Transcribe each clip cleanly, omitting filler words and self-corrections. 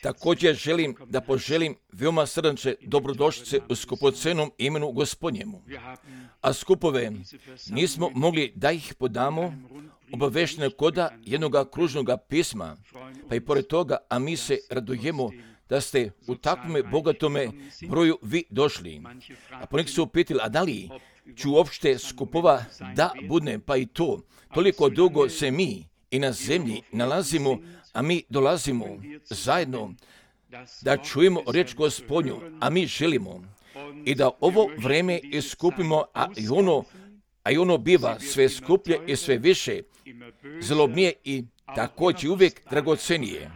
Također želim da poželim veoma srdačne dobrodošlice u skupocenom imenu Gospodnjemu. A skupove nismo mogli da ih podamo obaveštene koda jednog kružnog pisma, pa i pored toga, a mi se radujemo da ste u takvome bogatome broju vi došli. A poneki su upitili, a da li ću uopšte skupova da budne, pa i to. Toliko dugo se mi i na zemlji nalazimo, a mi dolazimo zajedno da čujemo riječ Gospodnju, a mi želimo i da ovo vreme iskupimo, a i ono biva sve skuplje i sve više, zlobnije i također uvijek dragocenije.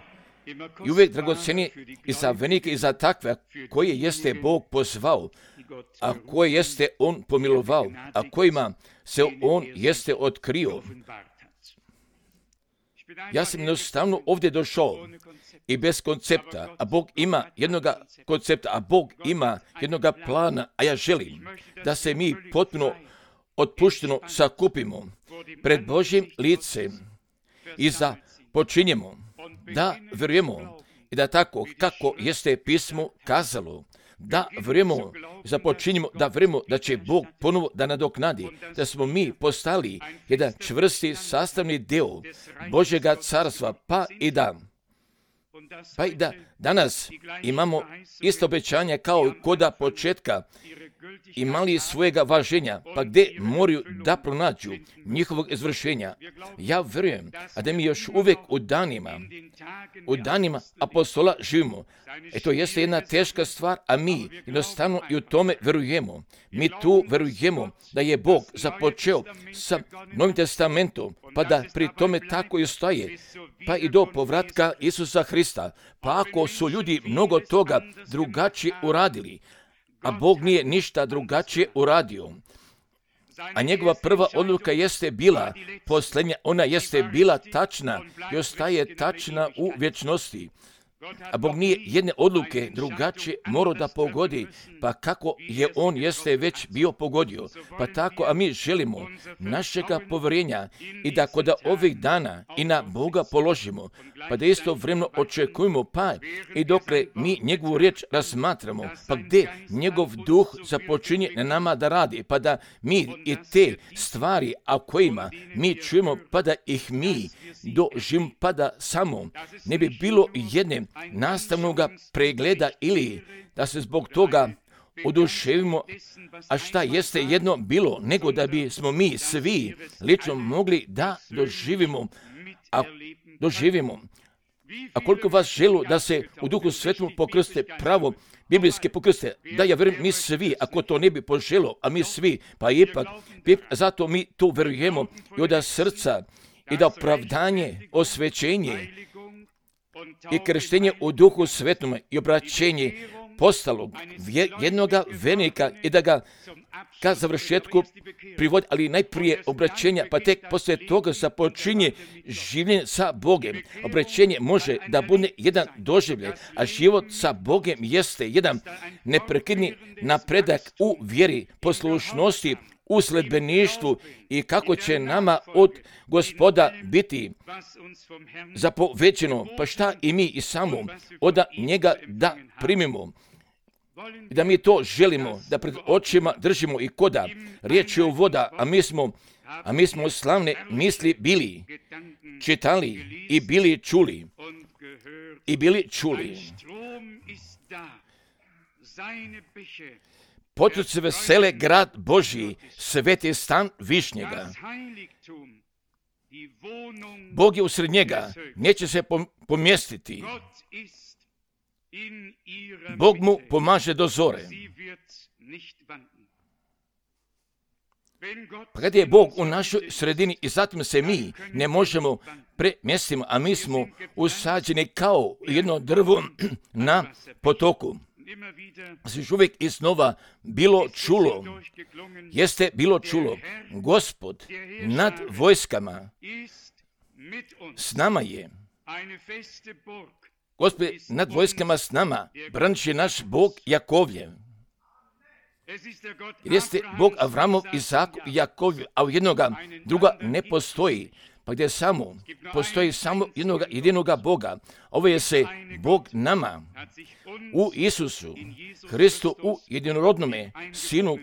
I uvijek dragocenije i za venike i za takve koje jeste Bog pozvao, a koje jeste On pomilovao, a kojima se On jeste otkrio. Ja sam jednostavno ovdje došao i bez koncepta, a Bog ima jednog koncepta, a Bog ima jednog plana, a ja želim da se mi potpuno otpušteno sakupimo pred Božjim licem i započinjemo da vjerujemo i da tako kako jeste pismo kazalo, da vjerujemo, započinjemo da vjerujemo da će Bog ponovo da nadoknadi, da smo mi postali jedan čvrsti sastavni deo Božjega carstva, pa i da danas imamo isto obećanje kao i koda početka imali svojega važenja, pa gdje moraju da pronađu njihovog izvršenja. Ja vjerujem, a da mi još uvijek u danima apostola živimo. To jeste jedna teška stvar, a mi jednostavno i u tome vjerujemo. Mi tu vjerujemo da je Bog započeo sa Novim testamentom, pa da pri tome tako i ostaje, pa i do povratka Isusa Hrista. Pa ako su ljudi mnogo toga drugačije uradili, a Bog nije ništa drugačije uradio, a njegova prva odluka jeste bila posljednja, ona jeste bila tačna i ostaje tačna u vječnosti. A Bog nije jedne odluke drugačije morao da pogodi, pa kako je On jeste već bio pogodio. Pa tako, a mi želimo našega povjerenja i da kod ovih dana i na Boga položimo, pa da isto vremeno očekujemo, pa i dokle mi njegovu riječ razmatramo, pa gdje njegov duh započinje na nama da radi, pa da mi i te stvari, a kojima mi čujemo, pa da ih mi doživimo, pa da samo ne bi bilo jedne nastavnog pregleda ili da se zbog toga oduševimo, a šta jeste jedno bilo, nego da bi smo mi svi lično mogli da doživimo. A koliko vas želu da se u Duhu Svetom pokrste pravo, biblijske pokrste, da ja vjerujem mi svi, ako to ne bi poželo, a mi svi, pa ipak, zato mi tu vjerujemo i od srca i da opravdanje, osvećenje i krštenje u Duhu Svetom i obraćenje postalo jednoga vernika i da ga ka završetku privodi, ali najprije obraćenja, pa tek poslije toga započinje življenje sa Bogem. Obraćenje može da bude jedan doživljaj, a život sa Bogem jeste jedan neprekidni napredak u vjeri, poslušnosti, u sledbeništvu i kako će nama od Gospoda biti zapovećeno, pa šta i mi i samo od njega da primimo. Da mi to želimo, da pred očima držimo i koda riječ je o voda, a mi smo slavne misli bili, čitali i bili čuli. Potoci vesele grad Božji, sveti stan Višnjega. Bog je usred njega, neće se pomjestiti. Bog mu pomaže do zore. Pa kad je Bog u našoj sredini i zatim se mi ne možemo premjestiti, a mi smo usađeni kao jedno drvo na potoku. Se uvijek iznova jeste bilo čulo, Gospod nad vojskama s nama je. Gospod nad vojskama s nama, branit je naš Bog Jakovljev. Jeste Bog Avramov, Izakov i Jakovljev, a u jednoga druga ne postoji. pa gdje samo postoji samo jedinoga Boga. Ovo je se Bog nama u Isusu Hristu, u jedinorodnome Sinu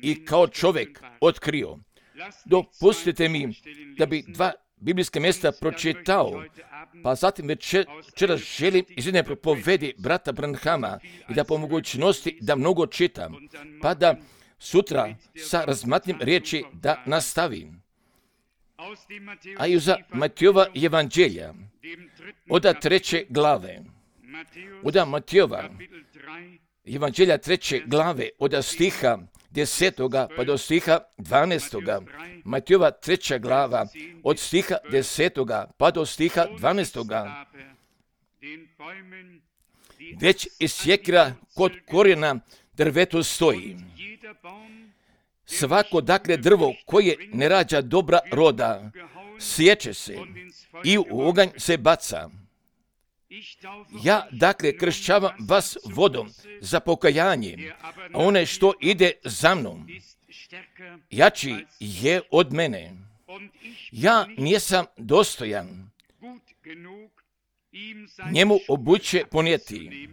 i kao čovjek otkrio. Dopustite mi da bi 2 biblijska mjesta pročitao, pa zatim večeras želim iz jedne propovedi brata Branhama i da po mogućnosti da mnogo čitam, pa da sutra sa razmatnim riječi da nastavim. A i za Matijova evanđelja, od 3. glave, od Matijova evanđelja 3. glave, od stiha 10. pa do stiha 12. Matijova 3. glava, od stiha 10. pa do stiha 12. Već iz sjekira kod korijena drvetu stoji. Svako dakle drvo koje ne rađa dobra roda, sječe se i u oganj se baca. Ja dakle kršćavam vas vodom za pokajanje, a one što ide za mnom, jači je od mene. Ja nisam dostojan njemu obuće ponijeti.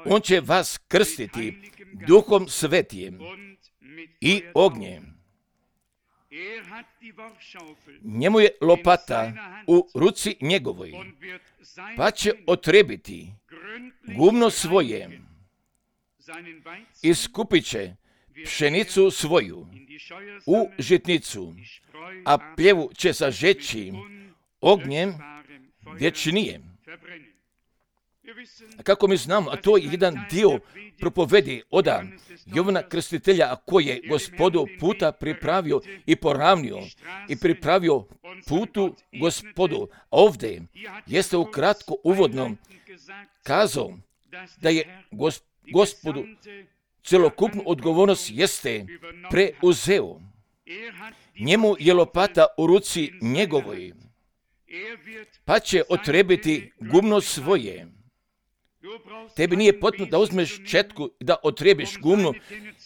On će vas krstiti Duhom Svetijem i ognjem. Njemu je lopata u ruci njegovoj, pa će otrebiti gumno svoje i skupit će pšenicu svoju u žitnicu, a pljevu će sažeći ognjem vječnijem. A kako mi znamo, a to je jedan dio propovedi od Jovana Krstitelja, a koji je Gospodu puta pripravio i poravnio i pripravio putu Gospodu. Ovdje jeste ukratko uvodno kazao da je Gospodu celokupnu odgovornost jeste preuzeo. Njemu je lopata u ruci njegovoj, pa će otrebiti gumno svoje. Tebi nije potrebno da uzmeš četku i da otrebiš gumno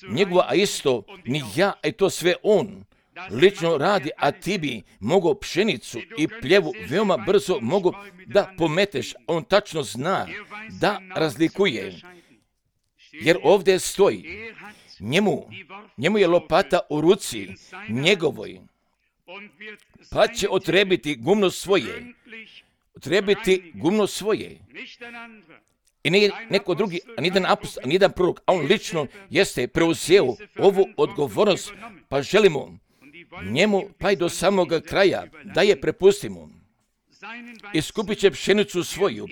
njegovo, a isto ni ja, a to sve on lično radi, a ti bi mogao pšenicu i pljevu veoma brzo mogu da pometeš. On tačno zna da razlikuje, jer ovdje stoji, njemu je lopata u ruci njegovoj, pa će otrebiti gumno svoje. Otrebiti gumno svoje. I nije neko drugi, a nijedan apostol, a nijedan prorok, a on lično jeste preuzeo ovu odgovornost, pa želimo njemu pa i do samoga kraja da je prepustimo. I skupit će pšenicu svoju,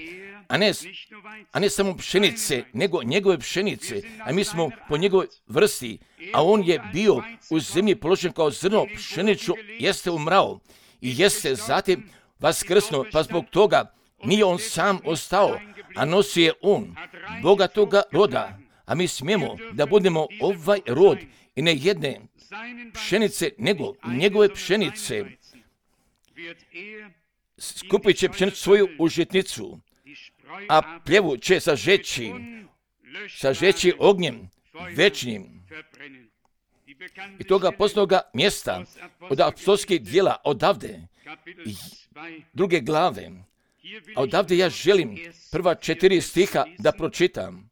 a ne samo pšenice, nego njegove pšenice, a mi smo po njegovoj vrsti, a on je bio u zemlji položen kao zrno pšenicu, jeste umrao i jeste zatim vaskrsnuo, pa zbog toga nije on sam ostao, a nosi je on bogatoga roda, a mi smijemo da budemo ovaj rod i ne jedne pšenice, nego njegove pšenice. Skupit će pšenicu svoju u žitnicu, a pljevu će sažeći ognjem večnim. I toga posljednoga mjesta od apostolskih djela odavde, 2. glave, a odavde ja želim prva 4 stiha da pročitam.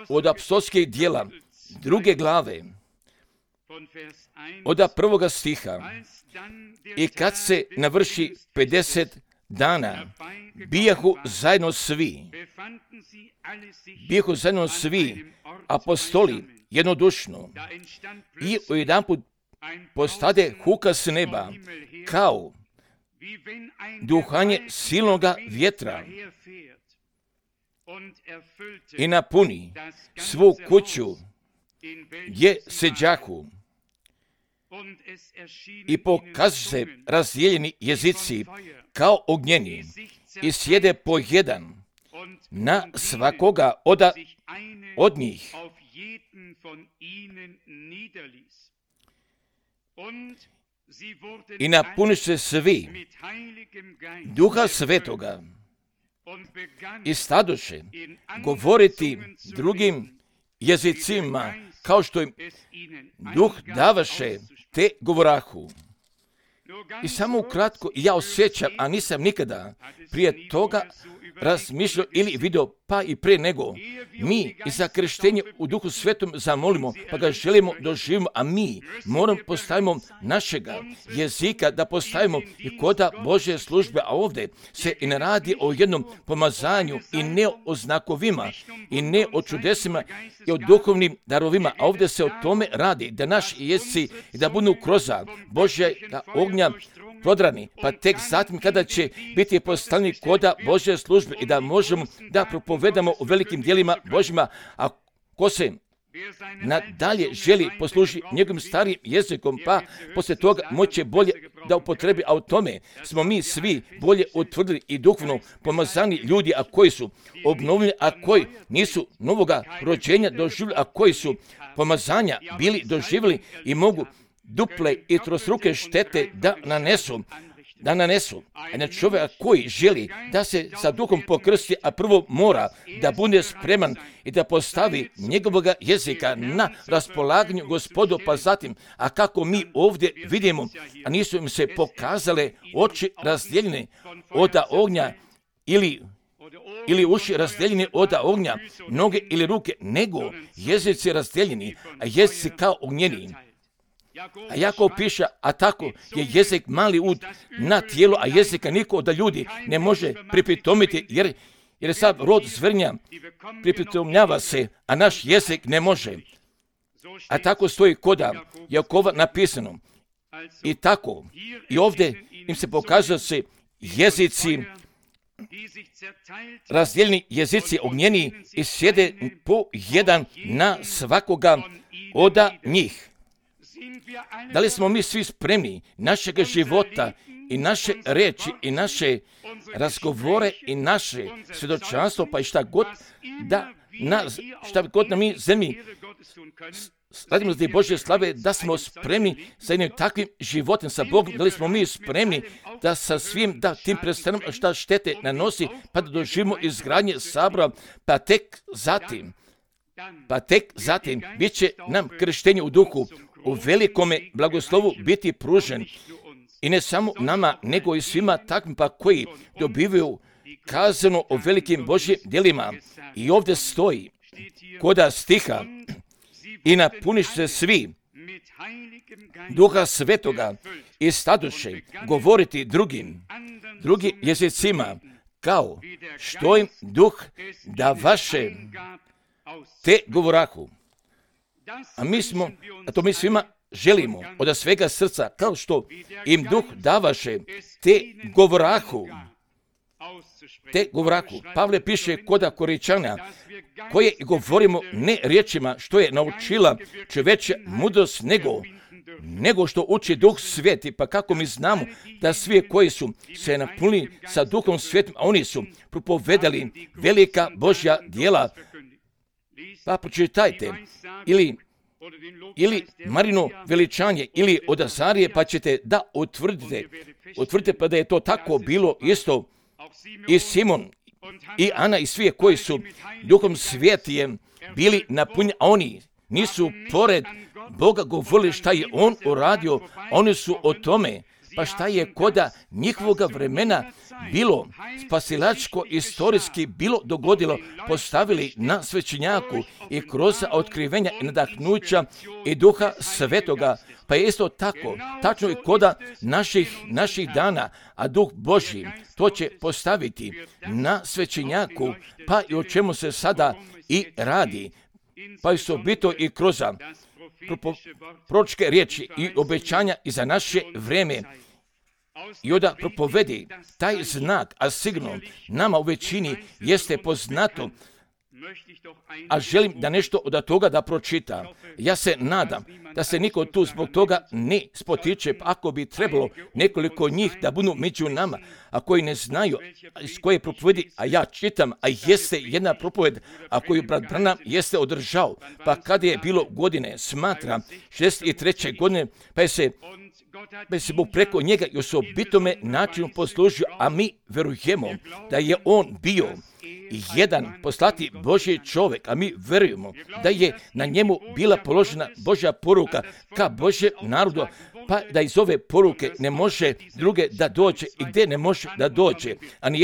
Od apostolskih djela 2. glave, od 1. stiha. I kad se navrši 50 dana, bijahu zajedno svi apostoli jednodušno i ujedanput postade huka s neba, kao duhanje silnoga vjetra i napuni svu kuću gdje seđahu. I pokažu se razdijeljeni jezici kao ognjeni i sjede po jedan na svakoga od njih. I napuniše se svi Duha Svetoga i stadoše govoriti drugim jezicima kao što im Duh davaše te govorahu. I samo ukratko, ja osjećam, a nisam nikada prije toga razmišljao ili video, pa i prije nego. Mi i za krštenje u Duhu Svetom zamolimo, pa ga želimo doživimo, a mi moramo postavimo našega jezika, da postavimo i koda Božje službe, a ovdje se i ne radi o jednom pomazanju i ne o znakovima i ne o čudesima i o duhovnim darovima, a ovdje se o tome radi, da naši jezici da budu kroz Božjega ognja prodrani, pa tek zatim kada će biti postavljeni koda Božje službe i da možemo da propovedamo u velikim dijelima Božjima, a ko se nadalje želi poslužiti njegovim starijim jezikom, pa poslije toga moće bolje da upotrebi, a u tome smo mi svi bolje utvrdili i duhovno pomazani ljudi, a koji su obnovljeni, a koji nisu novoga rođenja doživjeli, a koji su pomazanja bili doživjeli i mogu duple i trostruke štete da nanesu. A na čovjeka koji želi da se sa duhom pokrsti, a prvo mora da bude spreman i da postavi njegovog jezika na raspolaganju Gospodu, pa zatim, a kako mi ovdje vidimo, a nisu im se pokazale oči razdijeljene od ognja ili uši razdijeljeni od ognja, noge ili ruke, nego jezici razdijeljeni, a jezici kao ognjeni. A Jakov piše, a tako je jezik mali ud na tijelo, a jezika niko od ljudi ne može pripitomiti, jer sad rod zvrnja pripitomljava se, a naš jezik ne može. A tako stoji koda Jakova napisano. I tako, i ovdje im se pokazuje se jezici, razdijeljeni jezici ognjeni i sjede po jedan na svakoga od njih. Da li smo mi svi spremni našeg života i naše reči i naše razgovore i naše svjedočanstvo, pa i šta god na mi zemlji radimo za Božje slave, da smo spremni za jednim takvim životom sa Bogom, da li smo mi spremni da sa svim tim predstavljamo šta štete nanosi, pa da doživimo izgradnje sabora, pa tek zatim bit će nam krštenje u duhu u velikome blagoslovu biti pružen i ne samo nama, nego i svima takvim pa koji dobivaju kazano o velikim Božjim djelima. I ovdje stoji koda stiha i napuniš se svi Duha Svetoga i stadoše govoriti drugim jezicima, kao što im Duh da vaše te govorahu. A mi svima želimo od svega srca, kao što im Duh davaše te govorahu. Pavle piše koda Koričana, koje govorimo ne riječima što je naučila čovječja mudrost, nego što uči Duh Sveti, pa kako mi znamo da svi koji su se napunili sa Duhom Svetim, a oni su propovedali velika Božja djela, pa pročitajte ili Marino veličanje ili od Azarije, pa ćete da utvrdite pa da je to tako bilo isto i Simon i Ana i svi koji su Duhom Svetijem bili napunjeni, a oni nisu pored Boga govorili šta je On uradio, oni su o tome, pa šta je koda njihovoga vremena bilo spasilačko istorijski bilo dogodilo, postavili na svećenjaku i kroz otkrivenja i nadahnuća i Duha Svetoga, pa je isto tako, tačno i koda naših dana, a Duh Božji to će postaviti na svećenjaku, pa i o čemu se sada i radi, pa su bito i kroz proročke riječi i obećanja i za naše vrijeme. I onda propovedi taj znak, a sigurno nama u većini jeste poznato, a želim da nešto od toga da pročita. Ja se nadam da se niko tu zbog toga ne spotiče, ako bi trebalo nekoliko njih da budu među nama, a koji ne znaju iz koje propovedi, a ja čitam, a jeste jedna propoved, a koju brat Branham jeste održao, pa kada je bilo godine, smatra 63. godine, pa se Bog preko njega i osobitome načinu poslužio, a mi verujemo da je on bio jedan poslati Božji čovjek, a mi vjerujemo da je na njemu bila položena Božja poruka ka Božjem narodu, pa da iz ove poruke ne može druge da dođe i gdje ne može da dođe. Ani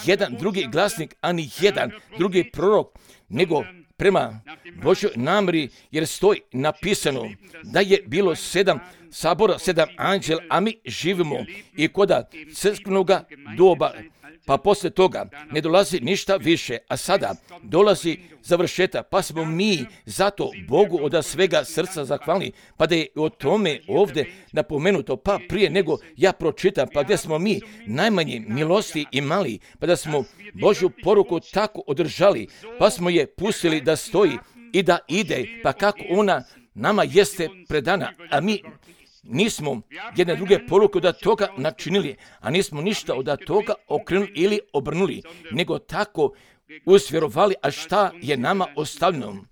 jedan drugi glasnik, ani jedan drugi prorok, nego prema Božjoj namjeri, jer stoji napisano da je bilo 7 sabora, 7 anđela, a mi živimo i koda crkvenoga doba, pa poslije toga ne dolazi ništa više, a sada dolazi završetak, pa smo mi zato Bogu od svega srca zahvalni, pa da je o tome ovdje napomenuto, pa prije nego ja pročitam, pa gdje smo mi najmanje milosti imali, pa da smo Božju poruku tako održali, pa smo je pustili da stoji i da ide, pa kako ona nama jeste predana, a mi nismo jedne druge poruke od toga načinili, a nismo ništa od toga okrenuli ili obrnuli, nego tako usvjerovali, a šta je nama ostavljeno.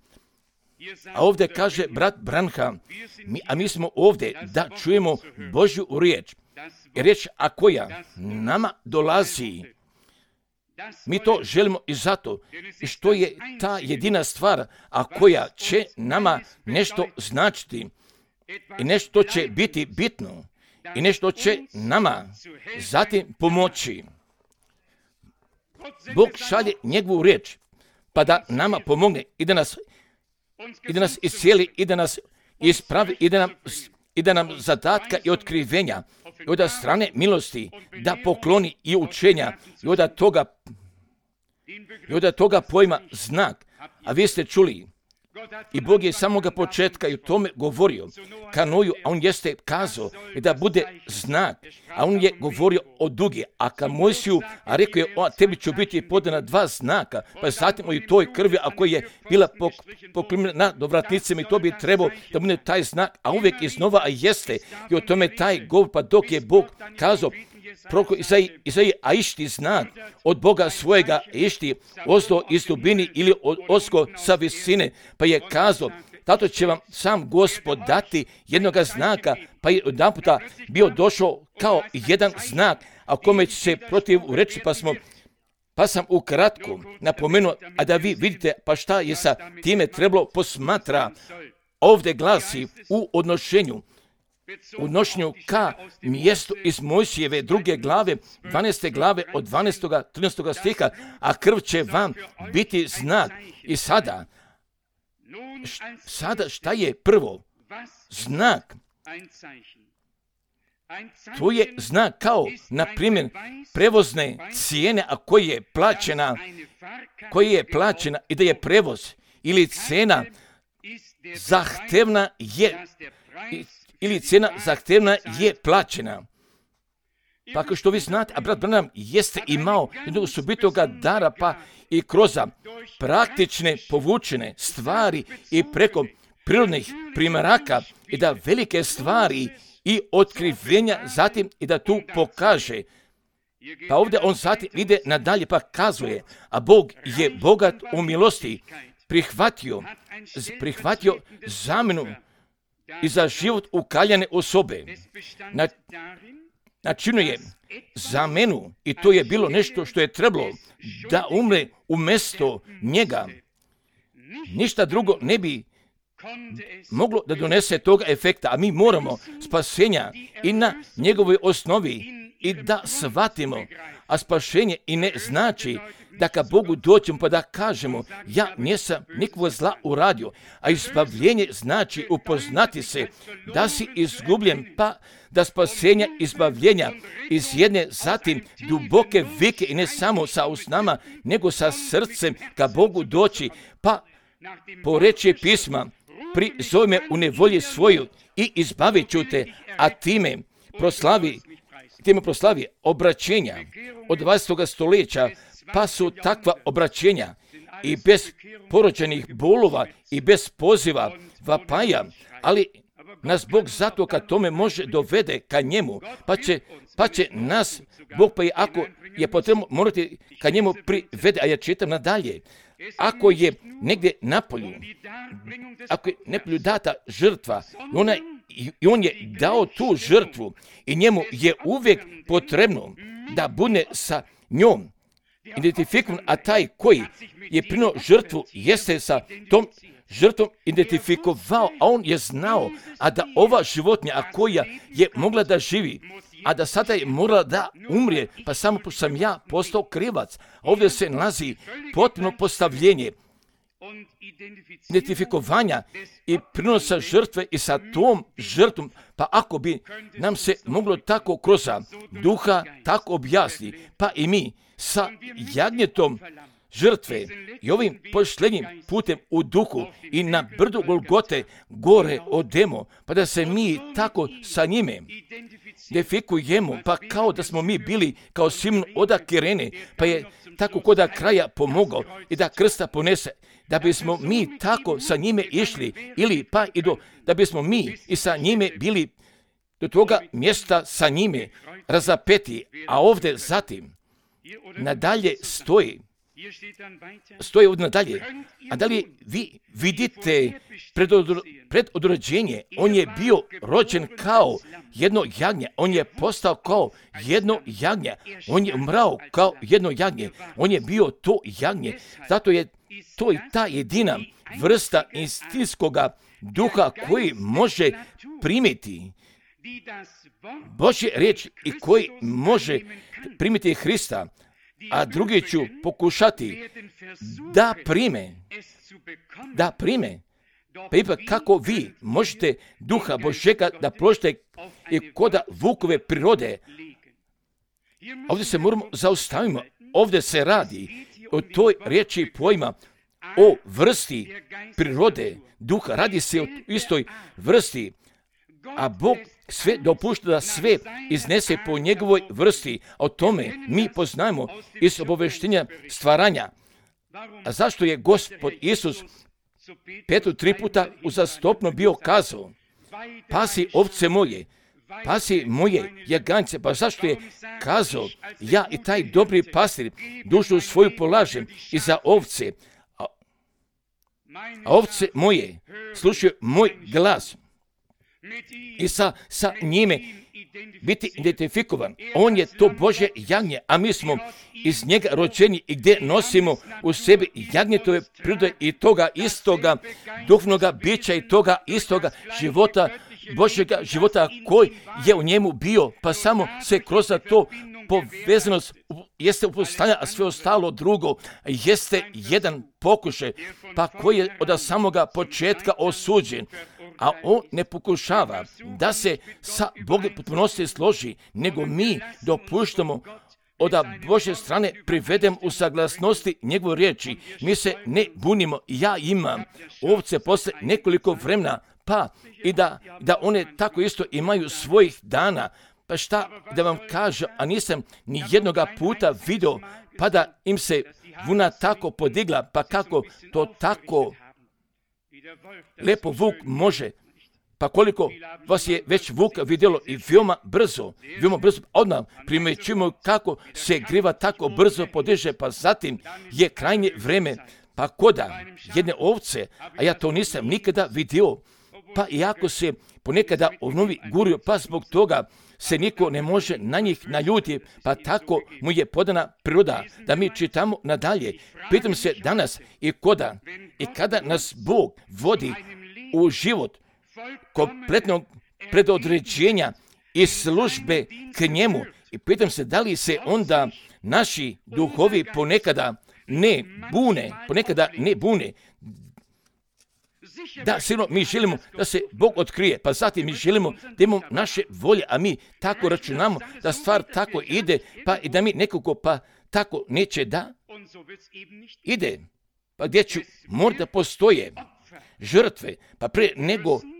A ovdje kaže brat Branham, mi smo ovdje da čujemo Božju riječ. Riječ, a koja nama dolazi, mi to želimo i zato što je ta jedina stvar, a koja će nama nešto značiti i nešto će biti bitno i nešto će nama zatim pomoći. Bog šalje njegovu riječ pa da nama pomogne i da nas iscijeli i da nas ispravi i da nam zadatka i otkrivenja i od strane milosti da pokloni i učenja i od toga pojma znak. A vi ste čuli, i Bog je samoga početka i o tome govorio ka Noju, a on jeste kazao da bude znak, a on je govorio o dugi, a ka Mojsiju, a rekao je, tebi ću biti podana 2 znaka, pa zatim i toj krvi, a koja je bila poklimljena na dovratnicama, i to bi trebao da bude taj znak, a uvijek iznova, a jeste, i o tome taj govor, pa dok je Bog kazao, prorok Izaiji, a išti znak od Boga svojega, išti ozdo iz dubini ili osko sa visine, pa je kazao, tato će vam sam Gospod dati jednoga znaka, pa je odjedanputa bio došao kao jedan znak, a kome će se protiv reći, pa sam ukratko napomenuo, a da vi vidite pa šta je sa time trebalo posmatra. Ovdje glasi u odnošenju ka mjestu iz Mojsijeve 2. glave, 12. glave od 12. 13. stiha, a krv će vam biti znak. I sada šta je prvo? Znak. To je znak kao, na primjer, prevozne cijene, a koja je plaćena i da je prevoz ili cena zahtevna je plaćena. Pa kao što vi znate, a brat Branham jeste imao jednog osobitoga dara, pa i kroz praktične povučene stvari i preko prirodnih primjeraka i da velike stvari i otkrivenja zatim i da tu pokaže. Pa ovdje on zatim ide nadalje pa kazuje, a Bog je bogat u milosti, prihvatio zamjenu i za život ukaljane osobe. Načinuje zamjenu i to je bilo nešto što je trebalo da umre umjesto njega. Ništa drugo ne bi moglo da donese toga efekta, a mi moramo spasenja i na njegovoj osnovi i da shvatimo, a spašenje i ne znači da ka Bogu dođemo pa da kažemo ja nisam nikakvo zla uradio, a izbavljenje znači upoznati se da si izgubljen, pa da spasenja izbavljenja iz jedne zatim duboke vike i ne samo sa usnama, nego sa srcem ka Bogu doći, pa po reči pisma prizove me u nevolji svoju i izbavit ću te, a time proslavi obraćenja od 20. stoljeća, pa su takva obraćenja i bez porođenih bolova i bez poziva vapaja, ali nas Bog zato kad tome može dovede ka njemu, pa će nas Bog, pa i ako je potrebno morati ka njemu privede, a ja čitam nadalje. Ako je negdje napolju data žrtva i on je dao tu žrtvu i njemu je uvijek potrebno da bude sa njom identifikovan, a taj koji je prinuo žrtvu jeste sa tom žrtvom identifikovao, a on je znao, a da ova životinja, a koja je mogla da živi, a da sada je morala da umrije, pa samo pošto sam ja postao krivac. Ovdje se nalazi potpuno postavljenje identifikovanja i prinosa žrtve i sa tom žrtvom, pa ako bi nam se moglo tako kroz duha tako objasni, pa i mi sa jagnjetom žrtve i ovim poštenjim putem u duhu i na brdu Golgote gore odemo, pa da se mi tako sa njime identifikujemo, pa kao da smo mi bili kao Simon od Kirene, pa je tako koda kraja pomogao i da krsta ponese, da bismo mi tako sa njime išli, ili pa i da bismo mi i sa njime bili do toga mjesta sa njime razapeti, a ovdje zatim nadalje stoji ovdje nadalje. A da li vi vidite predodređenje? On je bio rođen kao jedno jagnje, on je postao kao jedno jagnje, on je umrao kao jedno jagnje, on je bio to jagnje. Zato je to i ta jedina vrsta instinktskoga duha koji može primiti Božje riječ i koji može primiti Hrista, a drugi ću pokušati da prime. Pa ipak kako vi možete duha Božjega da položite i koda vukove prirode. Ovdje se moramo zaustavimo. Ovdje se radi o toj riječi pojma, o vrsti prirode duha. Radi se o istoj vrsti, a Bog sve dopušta da sve iznese po njegovoj vrsti. O tome mi poznajemo iz obavještenja stvaranja. A zašto je Gospod Isus Petru 3 puta uzastopno bio kazao: pasi ovce moje, pasi moje jaganjce? Pa zašto je kazao: ja i taj dobri pastir dušu svoju polažem i za ovce, a ovce moje slušaju moj glas. I sa njime biti identifikovan. On je to Božje jagnje, a mi smo iz njega rođeni i gdje nosimo u sebi jagnjetove prirode i toga istoga duhovnoga bića i toga istoga života, Božjega života koji je u njemu bio, pa samo se kroz to povezanost jeste upostanja, a sve ostalo drugo jeste jedan pokušaj, pa koji je od samoga početka osuđen. A on ne pokušava da se sa Bogom potpunosti složi, nego mi dopuštamo od Božje strane privedem u saglasnosti njegove riječi. Mi se ne bunimo. Ja imam ovce posle nekoliko vremena, pa i da one tako isto imaju svojih dana. Pa šta da vam kažem, a nisam ni jednoga puta vidio, pa da im se vuna tako podigla, pa kako to tako lepo vuk može, pa koliko vas je već vuka vidjelo i veoma brzo, odmah primećujemo kako se griva tako brzo podiže, pa zatim je krajnje vreme, pa koda jedne ovce, a ja to nisam nikada vidio, pa iako se ponekada ovnovi gurio, pa zbog toga se niko ne može na njih naljuti, pa tako mu je podana priroda. Da mi čitamo nadalje. Pitam se danas i koda i kada nas Bog vodi u život kompletnog predodređenja i službe k njemu, i pitam se da li se onda naši duhovi ponekada ne bune. Da, sigurno mi želimo da se Bog otkrije, pa zatim mi želimo da imamo naše volje, a mi tako računamo da stvar tako ide, pa i da mi nekako pa tako neće da ide. Pa gdje ću možda postoje žrtve, pa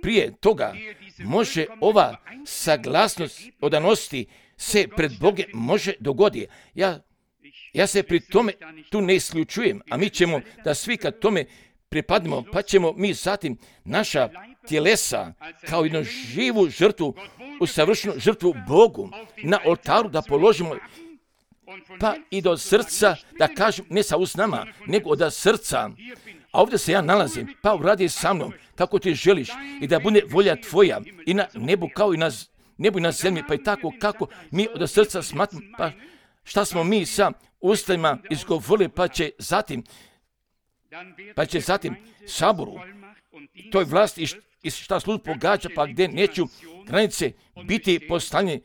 prije toga može ova saglasnost odanosti se pred Boge može dogoditi. Ja se pri tome tu ne isključujem, a mi ćemo da svi kad tome pripadnemo, pa ćemo mi zatim naša tjelesa kao jednu živu žrtvu, usavršenu žrtvu Bogu na oltaru da položimo, pa i do srca da kažem, ne sa usnama, nego od srca. A ovdje se ja nalazim, pa uradi sa mnom kako ti želiš i da bude volja tvoja i na nebu kao i na nebu i na zemlji, pa i tako kako mi od srca smatramo, pa šta smo mi sa ustima izgovorili, pa će zatim Saboru, toj vlasti i šta sud pogađa, pa gdje neću granice biti postavljene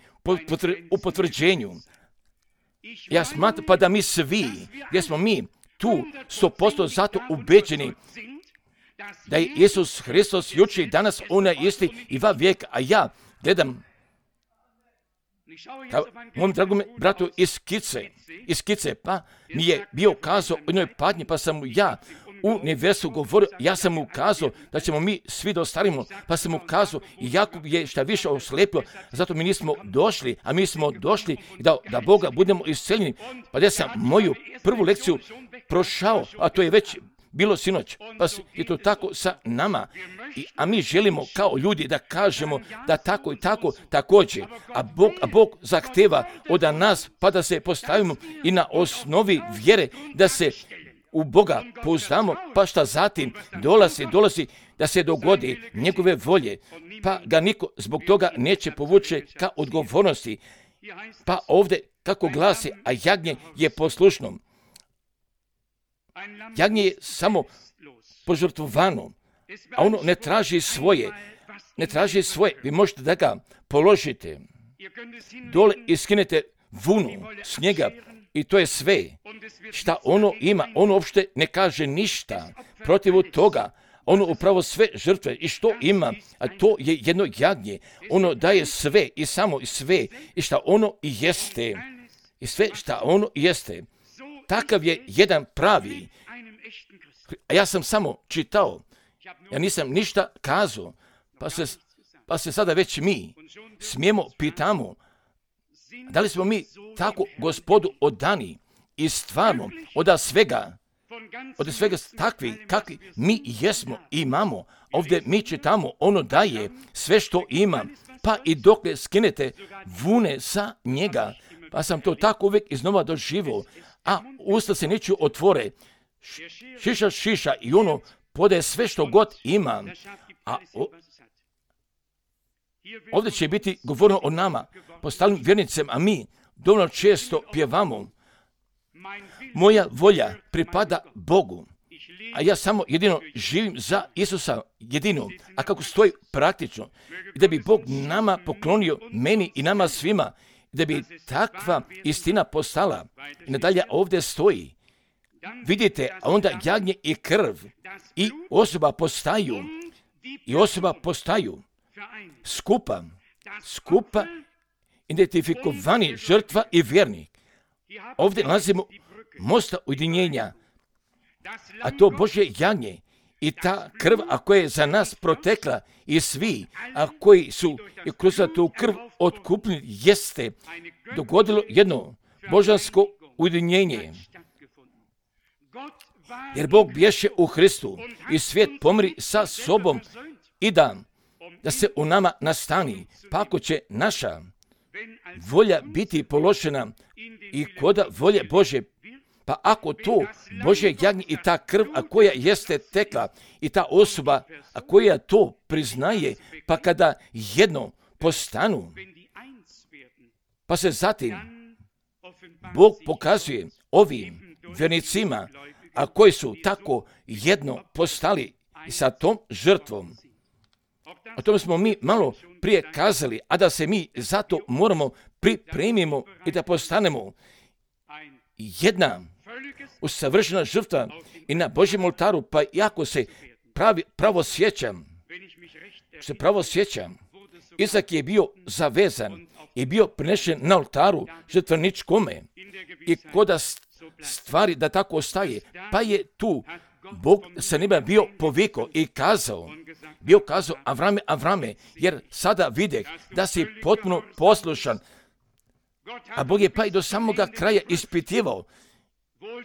u potvrđenju. Ja smatram pa da mi svi, gdje smo mi tu 100% zato ubeđeni da je Isus Hristos jučer i danas onaj isti i va vijek, a ja gledam mom dragom bratu iz Skice, pa mi je bio kazao o jednoj patnji, pa sam mu ja u nevesu govorio, ja sam mu kazao da ćemo mi svi da ostarimo, pa sam mu kazao i Jakub je šta više oslepio, zato mi nismo došli, a mi smo došli da Boga budemo isceljeni. Pa da sam moju prvu lekciju prošao, a to je već bilo sinoć, pa je to tako sa nama. A mi želimo kao ljudi da kažemo da tako i tako također, a Bog zahteva od nas pa da se postavimo i na osnovi vjere da se u Boga pouzdamo, pa šta zatim dolazi da se dogodi njegove volje, pa ga niko zbog toga neće povući ka odgovornosti. Pa ovdje kako glasi, a jagnje je poslušno. Jagnje je samo požrtvovano, a ono ne traži svoje. Vi možete da ga položite dole i skinete vunu s njega i to je sve šta ono ima. Ono uopšte ne kaže ništa protiv toga. Ono upravo sve žrtve i što ima, a to je jedno jagnje. Ono daje sve i samo i sve i šta ono i jeste. I sve šta ono jeste. Takav je jedan pravi. A ja sam samo čitao. Ja nisam ništa kazao. Pa se sada već mi smijemo pitamo da li smo mi tako Gospodu odani i stvarno od svega takvi kakvi mi jesmo i imamo. Ovdje mi čitamo, ono daje sve što ima, pa i dokle skinete vune sa njega. Pa sam to tako uvijek iznova doživio, a usta se neću otvore. Šiša i ono podaje sve što god ima. A ovdje će biti govoreno o nama, postalim vjernicima, a mi dovoljno često pjevamo. Moja volja pripada Bogu, a ja samo jedino živim za Isusa jedino. A kako stoji praktično, da bi Bog nama poklonio, meni i nama svima, da bi takva istina postala. I nadalje ovdje stoji. Vidite, a onda jagnje i krv i osoba postaju skupa identifikovani žrtva i vjernik. Ovdje nalazimo mosta ujedinjenja, a to Božje jagnje i ta krv, a koja je za nas protekla i svi, a koji su i kroz tu krv otkupljeni, jeste dogodilo jedno božansko ujedinjenje. Jer Bog bješe u Hristu i svijet pomri sa sobom i da se u nama nastani, pa ako će naša volja biti položena i koda volje Bože, pa ako to Božje jagnje i ta krv, a koja jeste tekla i ta osoba, a koja to priznaje, pa kada jedno postanu, pa se zatim Bog pokazuje ovim vjernicima, a koji su tako jedno postali sa tom žrtvom. O tome smo mi malo prije kazali, a da se mi zato moramo pripremimo i da postanemo jedna usavršena žrtva i na Božjem oltaru, pa jako se pravo sjećam, Izak je bio zavezan i bio prinešen na oltaru žrtveničkome i koda stvari da tako ostaje, pa je tu Bog sa neba bio povikao i kazao Avrame, jer sada videh da si potpuno poslušan, a Bog je pa i do samoga kraja ispitivao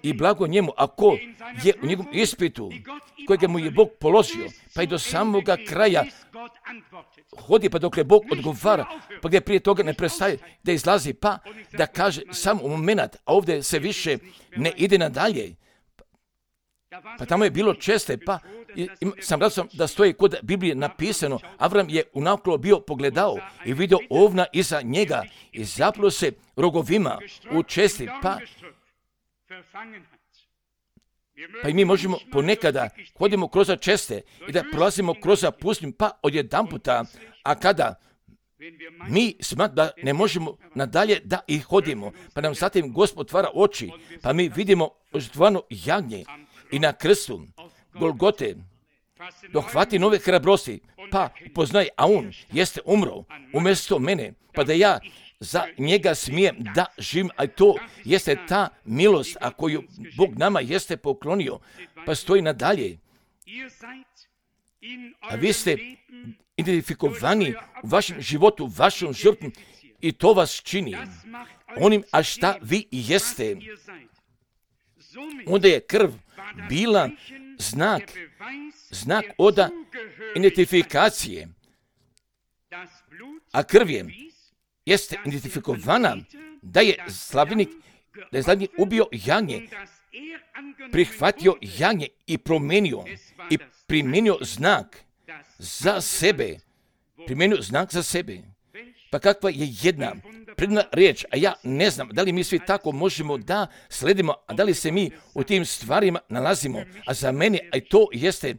i blago njemu, ako je u njegovom ispitu kojega mu je Bog položio, pa i do samoga kraja hodi pa dok je Bog odgovara, pa gdje prije toga ne prestaje da izlazi, pa da kaže samo u moment, a ovdje se više ne ide nadalje. Pa tamo je bilo česte, pa sam razum da stoji kod Biblije napisano, Avram je unaklo bio pogledao i vidio ovna iza njega i zaplo se rogovima u česti, pa i mi možemo ponekada hodimo kroz česte i da prolazimo kroz pustinju, pa odjedanputa, a kada mi smatramo da ne možemo nadalje da ih hodimo, pa nam zatim Gospod otvara oči, pa mi vidimo žrtvovano jagnje i na krstu Golgote dohvati nove hrabrosti, pa upoznaje, a on jeste umro umjesto mene, pa da ja za njega smijem da živim, a to jeste ta milost, a koju Bog nama jeste poklonio, pa stoji nadalje. A vi ste identifikovani u vašem životu, vašom žrtvom i to vas čini onim, a šta vi jeste. Onda je krv bila znak oda identifikacije, a krv jeste identifikovana da je slavljenik ubio jagnje, prihvatio jagnje i primijenio znak za sebe. Pa kakva je jedna predivna riječ, a ja ne znam da li mi svi tako možemo da sledimo, a da li se mi u tim stvarima nalazimo. A za mene, a to jeste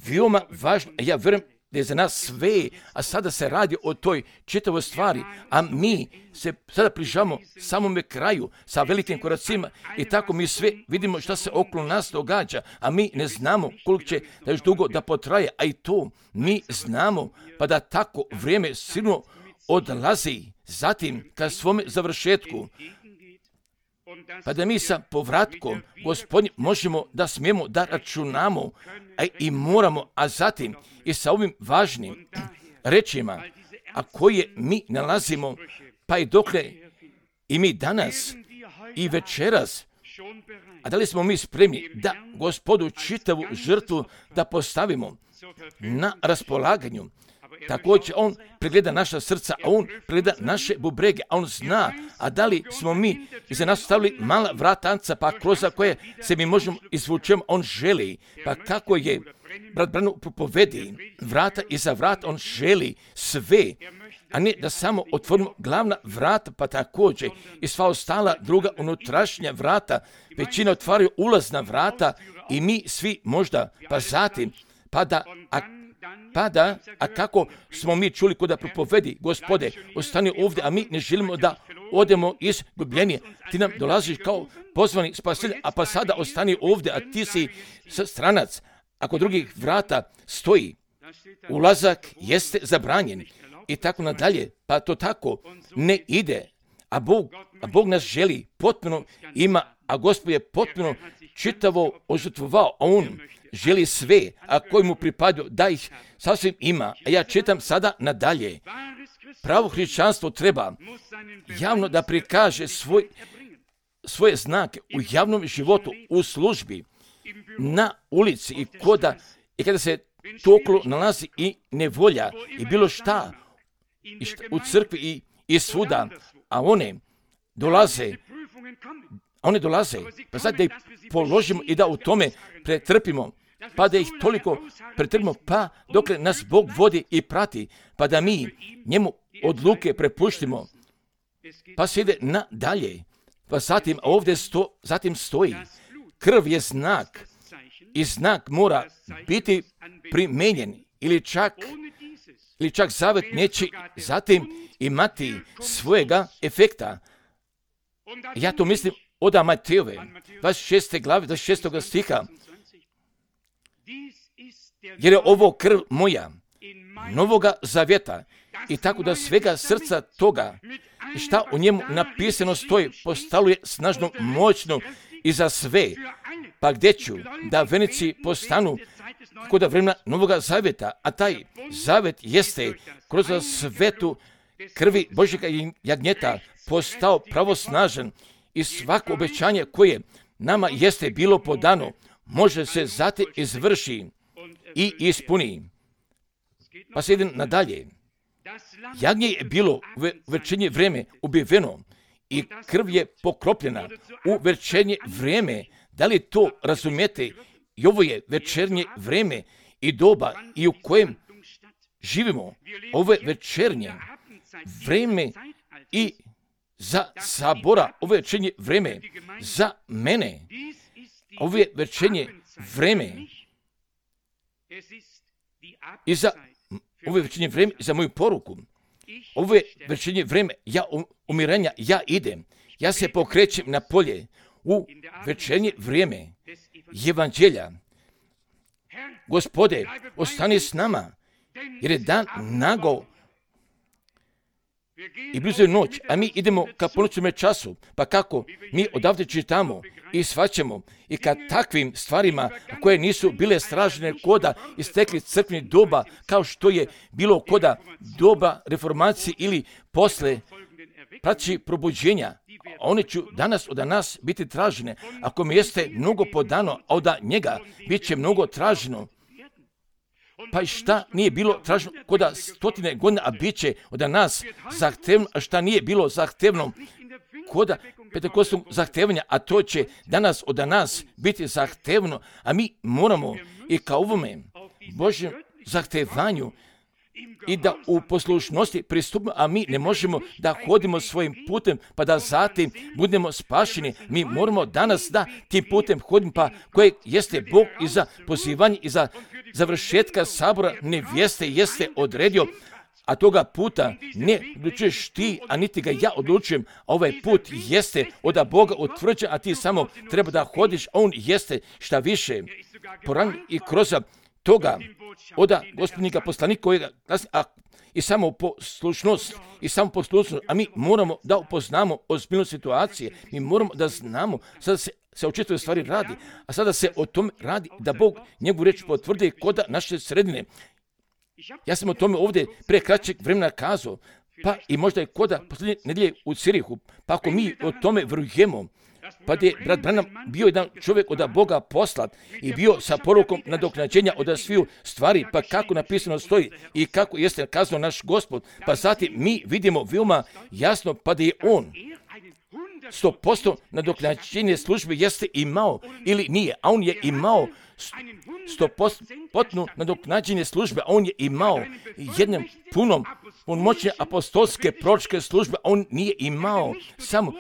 veoma važno, a ja vjerujem da je za nas sve, a sada se radi o toj čitavoj stvari, a mi se sada približavamo samome kraju sa velikim koracima i tako mi sve vidimo šta se okolo nas događa, a mi ne znamo koliko će da još dugo da potraje, a i to mi znamo, pa da tako vrijeme silno odlazi zatim ka svome završetku, pa da mi sa povratkom Gospodnjim možemo da smijemo da računamo, a i moramo, a zatim i sa ovim važnim rečima, a koje mi nalazimo, pa i dokle i mi danas i večeras, a da li smo mi spremni da Gospodu čitavu žrtvu da postavimo na raspolaganju. Također on pregleda naša srca, a on pregleda naše bubrege, a on zna, a da li smo mi iza nas stavili mala vratanca, pa kroz koje se mi možemo izvučemo, on želi, pa kako je brat Branham propovedi, vrata iza vrata, on želi sve, a ne da samo otvorimo glavna vrata, pa također i sva ostala druga unutrašnja vrata, većina otvaraju ulazna vrata i mi svi možda, pa zatim, a kako smo mi čuli kod da propovedi, Gospode, ostani ovdje, a mi ne želimo da odemo izgubljenje. Ti nam dolaziš kao pozvani spasitelj, a pa sada ostani ovdje, a ti si stranac. Ako drugih vrata stoji, ulazak jeste zabranjen i tako nadalje, pa to tako ne ide. A Bog nas želi potpuno ima, a Gospod je potpuno čitavo ožrtvovao, a on želi sve, a koji mu pripadaju, da ih sasvim ima. A ja čitam sada nadalje. Pravo hrišćanstvo treba javno da prikaže svoje znake u javnom životu, u službi, na ulici i kada se to okolo nalazi i nevolja i bilo šta u crkvi i svuda, a one dolaze, pa sad da ih položimo i da u tome pretrpimo, pa da ih toliko pretrpimo, pa dokle nas Bog vodi i prati, pa da mi njemu odluke prepuštimo, pa se ide nadalje, pa zatim ovdje zatim stoji, krv je znak i znak mora biti primijenjen ili čak zavet neće zatim imati svojega efekta. Ja to mislim od Matejove 26. glave 26. stiha, jer je ovo krv moja novoga zavjeta i tako da svega srca toga šta u njemu napisano stoji postaluje snažno, moćno i za sve, pa gdje ću da venici postanu kod vremena novoga zavjeta, a taj zavjet jeste kroz svetu krvi Božjega jagnjeta postao pravosnažan i svako obećanje koje nama jeste bilo podano može se zatim izvrši i ispuni. Pa se idem nadalje. Jagnje je bilo u večernje vrijeme ubiveno i krv je pokropljena u večernje vrijeme. Da li to razumijete I ovo je večernje vreme i doba i u kojem živimo. Ovo je večernje vreme i za sabora, ovo je večernje vreme za mene. Ovo je večernje vreme i za ovo je večernje vreme za moju poruku. Ovo je večernje vreme umirenja, ja idem. Ja se pokrećem na polje u večernje vrijeme evanđelja. Gospode, ostani s nama, jer je dan nago i blizu je noć, a mi idemo ka ponoćnome času. Pa kako? Mi odavde čitamo i shvaćamo i kad takvim stvarima koje nisu bile stražene koda istekli crkveni doba, kao što je bilo koda doba reformacije ili posle praći probuđenja, one će danas od nas biti tražene. Ako mi jeste mnogo podano, a od njega bit će mnogo traženo. Pa i šta nije bilo traženo koda 100 godina, a bit će od nas zahtevno, a šta nije bilo zahtevno koda pentekostnog zahtevanja, a to će danas od nas biti zahtevno, a mi moramo i kao ovome Božjem zahtevanju i da u poslušnosti pristupimo, a mi ne možemo da hodimo svojim putem, pa da zatim budemo spašeni. Mi moramo danas da tim putem hodimo, pa kojeg jeste Bog i za pozivanje i za završetka sabora nevjeste jeste odredio, a toga puta ne odlučuješ ti, a niti ga ja odlučujem. Ovaj put jeste od Boga utvrđen, a ti samo treba da hodiš, a on jeste šta više poran i kroz toga od gospodnika poslanika kojega i samo poslušnost, a mi moramo da upoznamo ozbiljnost situacije, mi moramo da znamo, sada se o čitavoj stvari radi, a sada se o tome radi da Bog njegovu reč potvrdi koda naše sredine. Ja sam o tome ovdje pre kraćeg vremena kazao, pa i možda je koda posljednje nedelje u Cirihu, pa ako mi o tome vrujemo, pa je brat Branham bio jedan čovjek od Boga poslat i bio sa porukom nadoknađenja od sviju stvari, pa kako napisano stoji i kako jeste kazao naš Gospod, pa zatim mi vidimo veoma jasno pa da je on 100% nadoknađenje službe jeste imao ili nije, a on je imao 100% nadoknađenje službe, a on je imao jednom punom moćne apostolske proročke službe, a on nije imao samo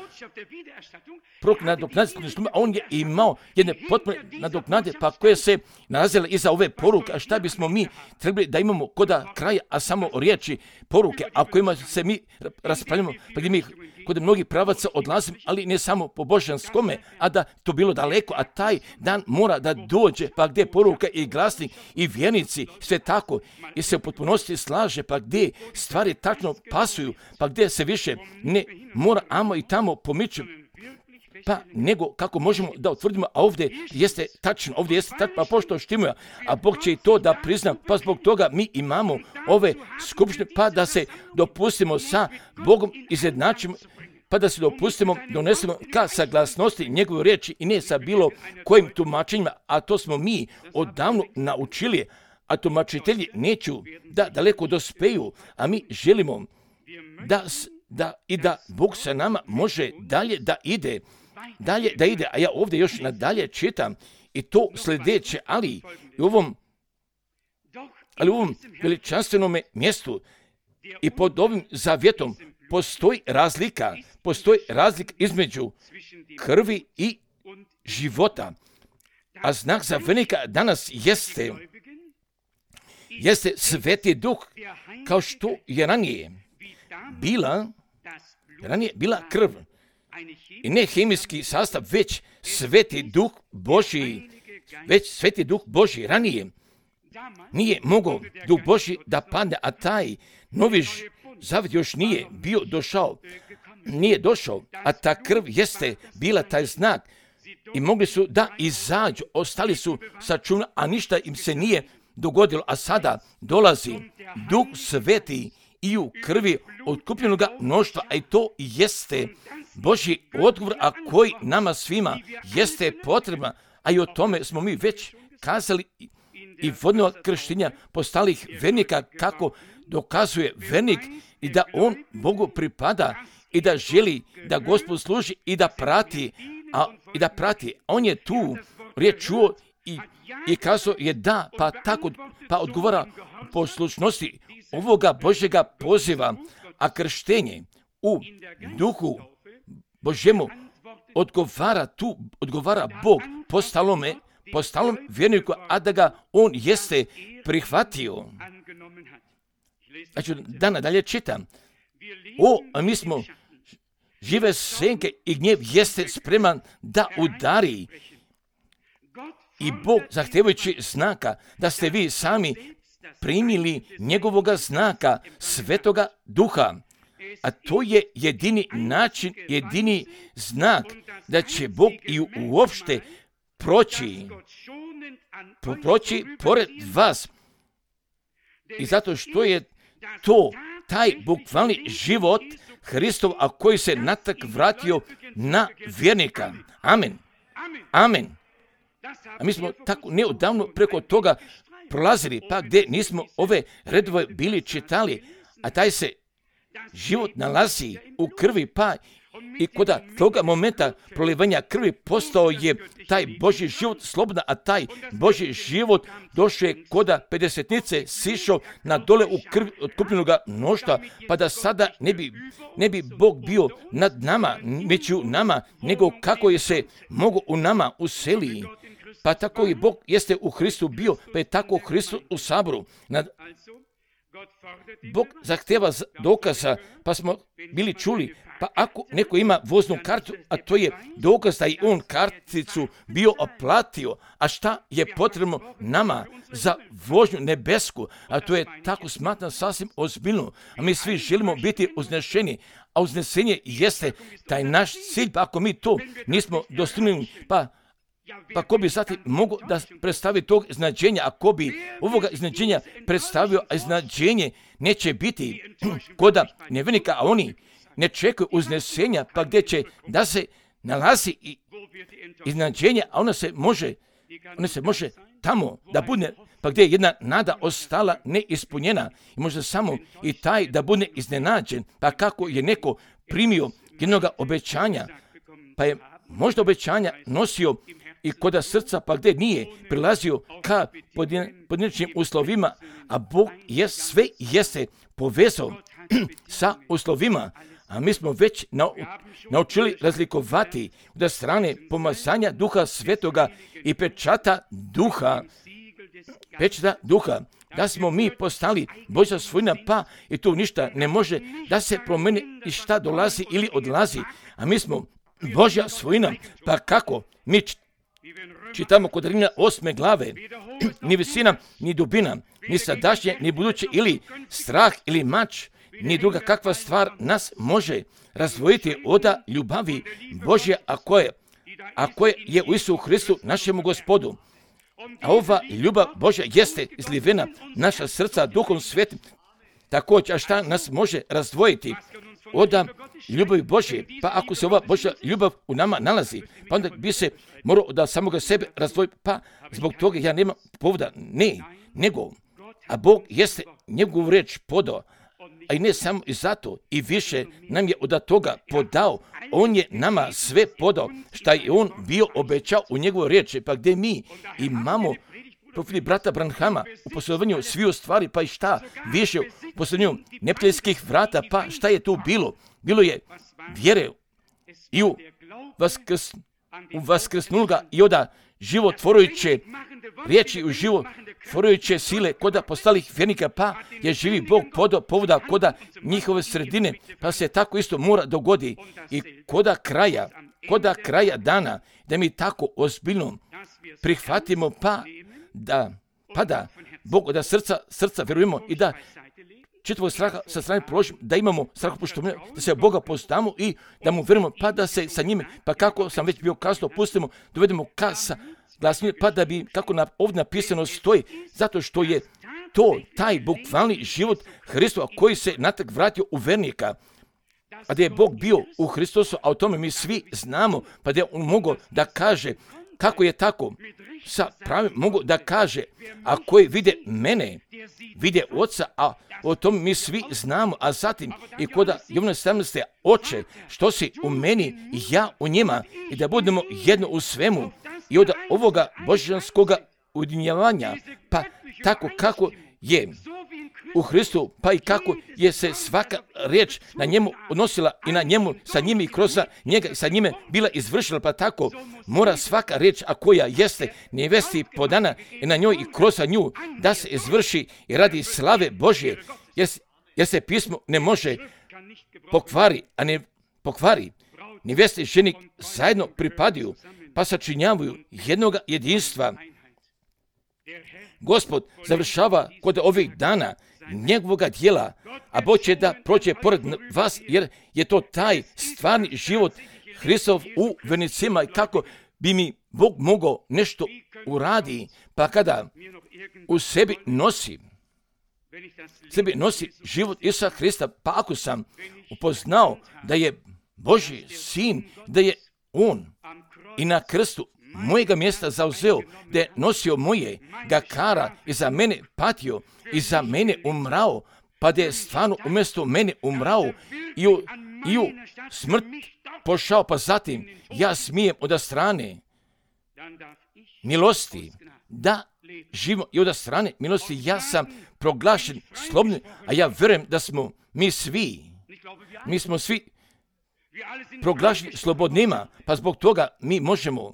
nadoknađenje službe, a on je imao jedne potpune nadoknade, pa koje se nalazile iza ove poruke, a šta bismo mi trebali da imamo koda kraja, a samo riječi poruke, a kojima se mi raspravljamo, pa gdje mi kod mnogih pravaca odlazim, ali ne samo po božanskome, a da to bilo daleko, a taj dan mora da dođe, pa gdje poruka i glasnik i vjernici, sve tako, i se u potpunosti slaže, pa gdje stvari tačno pasuju, pa gdje se više ne mora amo i tamo pomiču, pa nego kako možemo da utvrdimo, a ovdje jeste tačno, pa pošto štimuja, a Bog će i to da prizna, pa zbog toga mi imamo ove skupštine, pa da se dopustimo sa Bogom izjednačimo, pa da se dopustimo, donesemo ka saglasnosti njegove riječi i ne sa bilo kojim tumačenjima, a to smo mi odavno naučili, a tumačitelji neću da daleko dospeju, a mi želimo da Bog sa nama može dalje da ide, a ja ovdje još nadalje čitam i to sljedeće, ali u ovom veličanstvenom mjestu i pod ovim zavjetom postoji razlika između krvi i života, a znak za vernika danas jeste Sveti Duh, kao što je ranije bila krv. I ne hemijski sastav, već Sveti Duh Božji ranije nije mogao Duh Božji da padne, a taj novi zavjet još nije došao, a ta krv jeste bila taj znak i mogli su da izađu, ostali su sačuvani, a ništa im se nije dogodilo, a sada dolazi Duh Sveti i u krvi otkupljenoga mnoštva, a i to jeste Božji odgovor, a koji nama svima jeste potrebna, a i o tome smo mi već kazali i vodnog krštenja postalih vernika, kako dokazuje vernik i da on Bogu pripada i da želi da Gospod služi i da prati. On je tu riječ čuo i kazao je da, pa odgovara poslušnosti ovoga Božjega poziva, a krštenje u duhu Božjemu odgovara Bog po stalom vjerniku, a da ga on jeste prihvatio. Znači, da nadalje čitam. A mi smo žive senke i gnjev jeste spreman da udari. I Bog, zahtevajući znaka, da ste vi sami primili njegovoga znaka, Svetoga Duha. A to je jedini način, jedini znak da će Bog i uopšte proći pored vas. I zato što je to taj bukvalni život Hristov, a koji se natak vratio na vjernika. Amen. Amen. A mi smo tako neodavno preko toga prolazili, pa gdje nismo ove redove bili čitali, a taj se život nalazi u krvi, pa i kod toga momenta prolivanja krvi postao je taj Božji život slobodan, a taj Božji život došao je kod pedesetnice, sišao na dole u krvi otkupljenoga mnoštva, pa da sada ne bi Bog bio nad nama, među nama, nego kako je se mogo u nama useli. Pa tako i Bog jeste u Hristu bio, pa je tako Hristos u saboru. Bog zahtjeva dokaza, pa smo bili čuli, pa ako neko ima voznu kartu, a to je dokaz da je on karticu bio oplatio, a šta je potrebno nama za vožnju nebesku, a to je tako smatram sasvim ozbiljno, a mi svi želimo biti uznešeni, a uznesenje jeste taj naš cilj, pa ako mi to nismo dostigli, pa ko bi zatim mogo da predstavi tog iznađenja, a ko bi ovoga iznađenja predstavio, a iznađenje neće biti koda nevjernika, a oni ne čekaju uznesenja, pa gdje će da se nalazi iznađenje, a ona se može tamo da bude, pa gdje je jedna nada ostala neispunjena i možda samo i taj da bude iznenađen, pa kako je neko primio jednoga obećanja, pa je možda obećanja nosio i koda srca, pa gdje nije prilazio ka pojedinačnim uslovima, a Bog je sve jeste povezao sa uslovima, a mi smo već naučili razlikovati da strane pomazanja Duha Svetoga i pečata Duha, da smo mi postali Božja svojina, pa i tu ništa ne može da se promeni i šta dolazi ili odlazi, a mi smo Božja svojina, pa kako mi čitamo kod Rimljana 8. glave, ni visina, ni dubina, ni sadašnje, ni buduće, ili strah, ili mač, ni druga kakva stvar nas može razdvojiti od ljubavi Božje, a koje je u Isusu Hristu našemu Gospodu. A ova ljubav Božja jeste izlivena naša srca Duhom Svetim. Također, a šta nas može razdvojiti od ljubavi Božje? Pa ako se ova Božja ljubav u nama nalazi, pa onda bi se morao da samoga sebe razdvoji, pa zbog toga ja nemam povoda, nego, a Bog jeste njegovu reč podao, a i ne samo i zato, i više nam je od toga podao, on je nama sve podao, šta je on bio obećao u njegovoj riječi, pa gdje mi imamo profili brata Branhama u posjedovanju sviju stvari, pa i šta više u posjedovanju neprijateljskih vrata, pa šta je tu bilo? Bilo je vjere i u vaskrsnuloga i oda životvorujuće riječi, u životvorujuće sile koda postalih vjernika, pa je živi Bog podao povoda koda njihove sredine, pa se tako isto mora dogodi i koda kraja dana, da mi tako ozbiljno prihvatimo, pa da Bogu da srca vjerujemo i da čitavog straha sa strane položimo, da imamo strahopoštovanja, da se Boga poznamo i da mu vjerujemo, pa da se sa njime, pa kako sam već bio kasno, pustimo, dovedemo sa glasnije, pa da bi, kako ovdje napisano stoji, zato što je to taj bukvalni život Hristova koji se natrag vratio u vernika, a da je Bog bio u Hristosu, a o tome mi svi znamo, pa da je on mogao da kaže kako je tako, sa pravim mogu da kaže, a koji vide mene, vide Oca, a o tom mi svi znamo, a zatim i kod Jovana 17. Oče, što si u meni i ja u njima, i da budemo jedno u svemu, i od ovoga božanskoga ujedinjavanja, pa tako kako je u Hristu, pa i kako je se svaka riječ na njemu odnosila i na njemu, sa njim i kroz njega i sa njime bila izvršila, pa tako mora svaka riječ, a koja jeste nevesti podana i na njoj i kroz nju, da se izvrši i radi slave Božje, jer se pismo ne može pokvari. Neveste i ženik zajedno pripadaju, pa sačinjavaju jednoga jedinstva. Gospod završava kod ovih dana njegovoga djela, a Bog će da prođe pored vas, jer je to taj stvarni život Hristov u vernicima i kako bi mi Bog mogao nešto uradi, pa kada u sebi nosi život Isusa Hrista, pa ako sam upoznao da je Božji sin, da je On i na krstu mojega mjesta zauzeo, da je nosio moje kara i za mene patio i za mene umrao, pa da je stvarno umjesto mene umrao i u smrt pošao, pa zatim ja smijem od strane milosti da živim i od strane milosti ja sam proglašen slobodnim, a ja vjerujem da smo mi smo svi proglašeni slobodnima, pa zbog toga mi možemo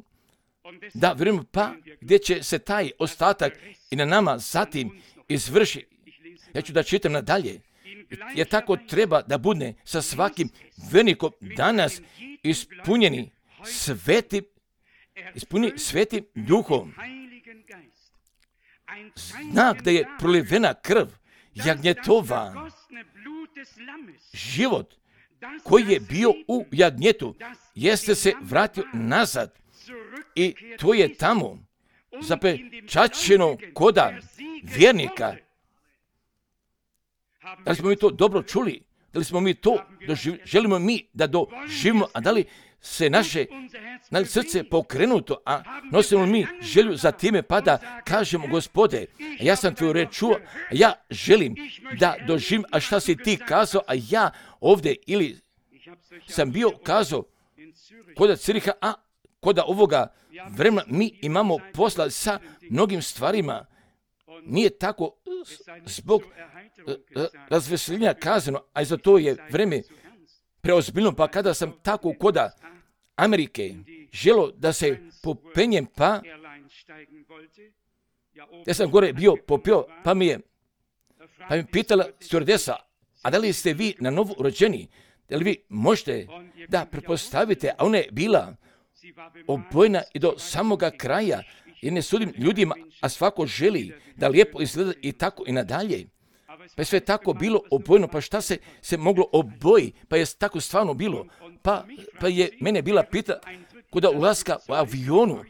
da vjerujemo, pa gdje će se taj ostatak i na nama zatim izvrši. Ja ću da čitam nadalje, jer tako treba da bude sa svakim vjernikom danas ispunjeni svetim duhom. Znak da je prolivena krv jagnjetova, život koji je bio u jagnjetu, jeste se vratio nazad i to je tamo zapečaćeno koda vjernika. Da li smo mi to dobro čuli? Da li smo mi to želimo mi da doživimo, a da li se naše srce pokrenuto, a nosimo mi želju za time, pa da kažemo, Gospode, ja sam tvoju reč čuo, a ja želim da doživim, a šta si ti kazao, a ja ovdje ili sam bio kazao koda Ciriha, a koda ovoga vremena mi imamo posla sa mnogim stvarima. Nije tako zbog razveseljenja kazano, a za to je vreme preozbiljno, pa kada sam tako koda Amerike želo da se popenjem, pa ja sam gore bio popio, pa mi pitala stewardesa, a da li ste vi na novo rođeni? Da li vi možete da pretpostavite, a ona je bila obojena i do samoga kraja, jer ne sudim ljudima, a svako želi da lijepo izgleda i tako i nadalje. Pa je sve tako bilo obojeno, pa šta se moglo oboji, pa je tako stvarno bilo. Pa je mene bila pita kod ulaska u avionu,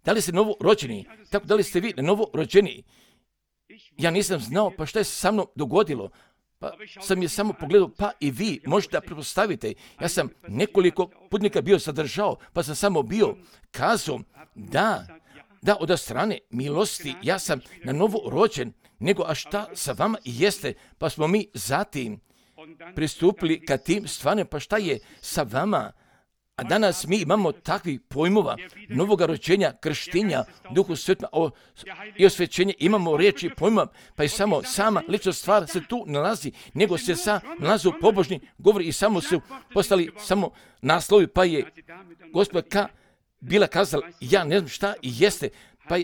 da li ste novo rođeni, tako da li ste vi novo rođeni. Ja nisam znao, pa šta je se sa mnom dogodilo. Pa sam je samo pogledao, pa i vi možete da pretpostavite. Ja sam nekoliko putnika bio zadržao, pa sam samo bio kazao da od strane milosti ja sam na novo rođen, nego a šta sa vama jeste, pa smo mi zatim pristupili ka tim stvarima, pa šta je sa vama. A danas mi imamo takvih pojmova novoga rođenja, krštenja, Duhu Svetom i osvećenja, imamo riječi pojmova, pa i sama lična stvar se tu nalazi, nego se nalazi u pobožni govori i samo su postali samo naslovi, pa je gospođa bila kazala, ja ne znam šta jeste, pa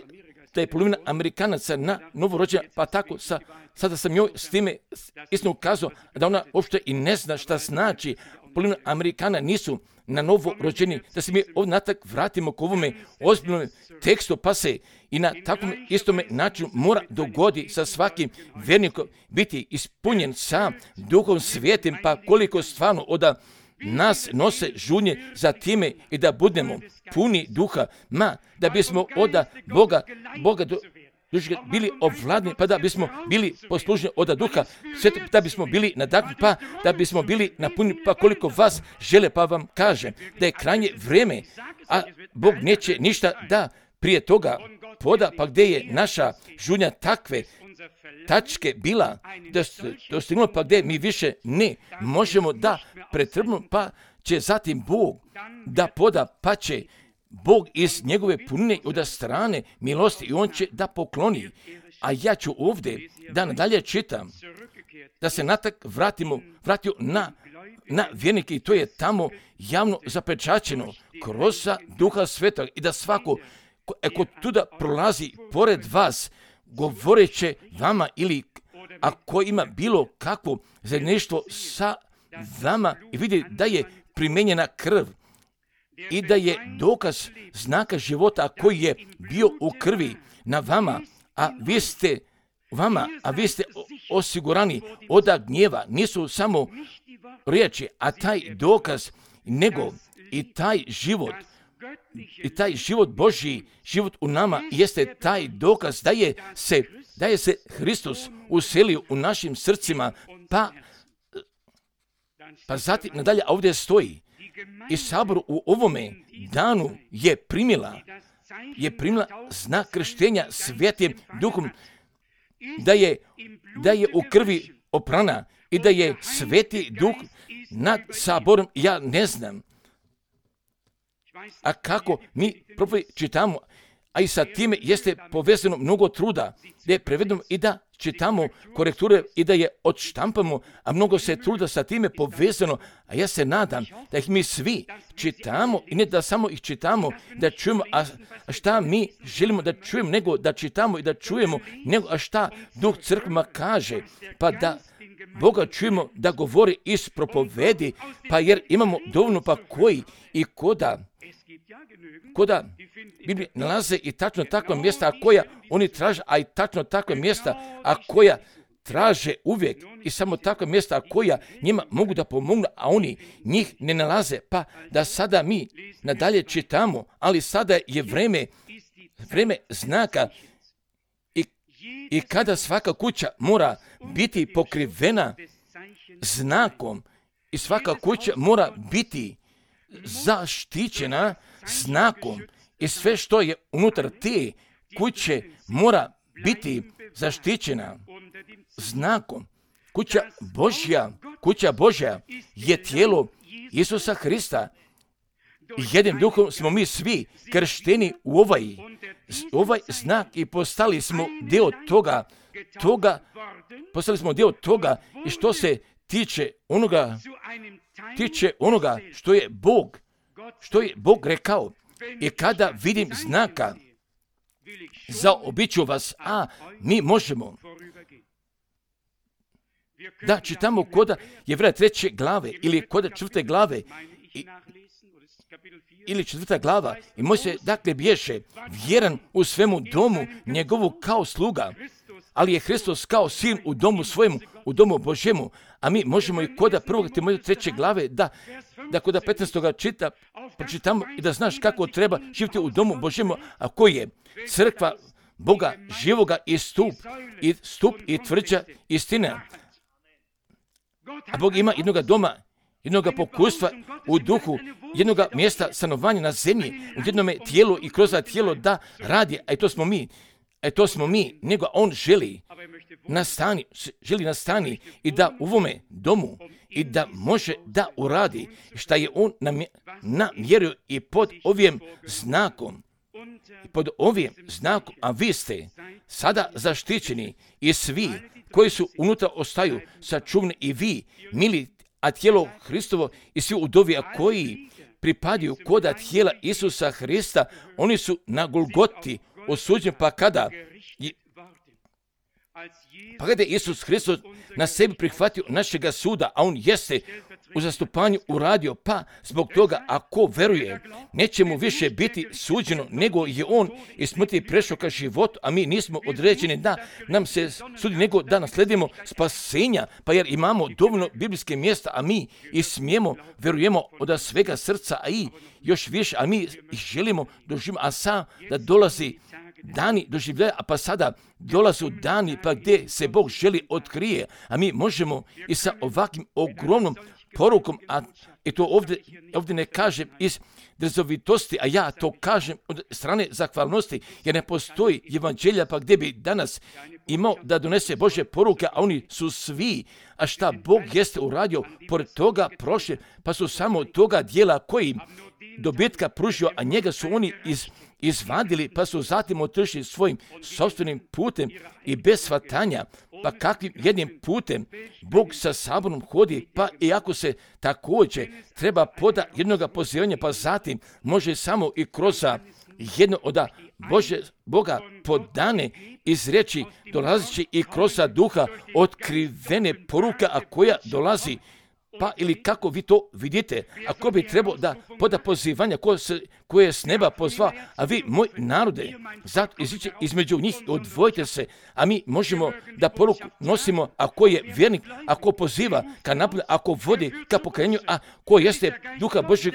da je polovina Amerikanaca na novorođenja, pa tako sada sam joj s time istinu kazao da ona uopšte i ne zna šta znači. Polovina Amerikana nisu na novo rođeni, da se mi ovdje natak vratimo k ovome ozbiljnom tekstu, pa se i na takvom istome načinu mora dogodi sa svakim vjernikom biti ispunjen sa Duhom Svijetim, pa koliko stvarno od nas nose žunje za time i da budemo puni duha, da bismo od Boga bili ovladni, pa da bismo bili poslužni od duha, da bismo bili nadahnuti, pa da bismo bili napuni, pa koliko vas žele, pa vam kažem da je krajnje vrijeme, a Bog neće ništa da prije toga poda, pa gdje je naša žunja takve tačke bila dostignula, pa gdje mi više ne možemo da pretrpimo, pa će zatim Bog da poda, pa će Bog iz njegove punine od strane milosti i on će da pokloni. A ja ću ovdje da nadalje čitam, da se natak vratio na vjernike i to je tamo javno zapečaćeno kroz Duha Svetog i da svako ko tuda prolazi pored vas govoreće vama ili ako ima bilo kakvo zajedništvo sa vama i vidi da je primijenjena krv i da je dokaz znaka života koji je bio u krvi na vama, a vi ste osigurani od gnjeva. Nisu samo riječi, a taj dokaz, nego i taj život Božji, život u nama jeste taj dokaz da je se Hristos uselio u našim srcima, pa zatim nadalje ovdje stoji i sabor u ovome danu je primila znak krštenja Svetim Duhom, da je u krvi oprana i da je Sveti Duh nad saborom. Ja ne znam, a kako mi čitamo, a i sa time jeste povezano mnogo truda, da je prevedeno i da čitamo korekture i da je odštampamo, a mnogo se truda sa time povezano, a ja se nadam da ih mi svi čitamo i ne da samo ih čitamo, da čujemo, a šta mi želimo da čujemo, nego da čitamo i da čujemo, nego a šta Duh crkvama kaže, pa da Boga čujemo da govori iz propovedi, pa jer imamo dovoljno pa koji i koda Biblije nalaze i tačno takva mjesta koja oni traže, a i tačno takva mjesta a koja traže uvijek i samo takva mjesta koja njima mogu da pomognu, a oni njih ne nalaze. Pa da sada mi nadalje čitamo, ali sada je vreme znaka i kada svaka kuća mora biti pokrivena znakom i svaka kuća mora biti zaštićena znakom i sve što je unutar te kuće mora biti zaštićena znakom. Kuća Božja je tijelo Isusa Hrista. Jednim duhom smo mi svi kršteni u ovaj znak i postali smo dio toga i što se tiče onoga što je Bog rekao. I kada vidim znaka, zaobiću vas, a mi možemo da čitamo koda Jevreja 3. glave ili koda 4. glave ili 4. glava i Mojsije dakle bješe vjeran u svemu domu njegovu kao sluga, ali je Hristos kao sin u domu svojemu, u domu Božjemu, a mi možemo i koda 1. Timoteja 3. glave da koda 15. pročitamo i da znaš kako treba živjeti u domu Božjemu, a koji je crkva Boga živoga i stup i tvrđa istina. A Bog ima jednoga doma, jednoga pokustva u duhu, jednoga mjesta stanovanja na zemlji, u jednome tijelu i kroz tijelo da radi, a to smo mi, nego on želi nastani i da u ovome domu i da može da uradi šta je on namjerio i pod ovim znakom, a vi ste sada zaštićeni i svi koji su unutra ostaju sačuvani i vi, mili, a tijelo Hristovo i svi udovi, a koji pripadaju koda tijela Isusa Hrista, oni su na Golgoti osuđeni, pa kada je Isus Hristos na sebi prihvatio našega suda, a on jeste u zastupanju uradio, pa zbog toga ako veruje, neće mu više biti suđeno, nego je on iz smrti prešao ka životu, a mi nismo određeni da nam se sudi, nego da nasledimo spasenja, pa jer imamo dovoljno biblijske mjesta, a mi i smijemo, verujemo od svega srca, a i još više, a mi želimo doživimo, a sad da dolazi dani doživljaja, a pa sada dolazu dani pa gdje se Bog želi otkrije, a mi možemo i sa ovakvim ogromnom porukom, I to ovdje ne kažem iz drzovitosti, a ja to kažem od strane zahvalnosti, jer ne postoji evanđelja pa gdje bi danas imao da donese Božje poruke, a oni su svi, a šta Bog jeste uradio, pored toga prošli, pa su samo toga dijela koji dobitka pružio, a njega su oni izvadili, pa su zatim otišli svojim sopstvenim putem i bez shvatanja. Pa kakvim jednim putem Bog sa saborom hodi, pa i ako se također treba poda jednoga pozivanja, pa zatim može samo i kroz jedno od Boga podane iz riječi dolazići i kroz duha otkrivene poruka, a koja dolazi. Pa ili kako vi to vidite, ako bi trebao da poda pozivanja koje je s neba pozva, a vi, moj narode, zato između njih odvojite se, a mi možemo da poruku nosimo, ako je vjernik, ako poziva ka napolju, ako vodi ka pokajanju, a ko jeste duha Božjeg,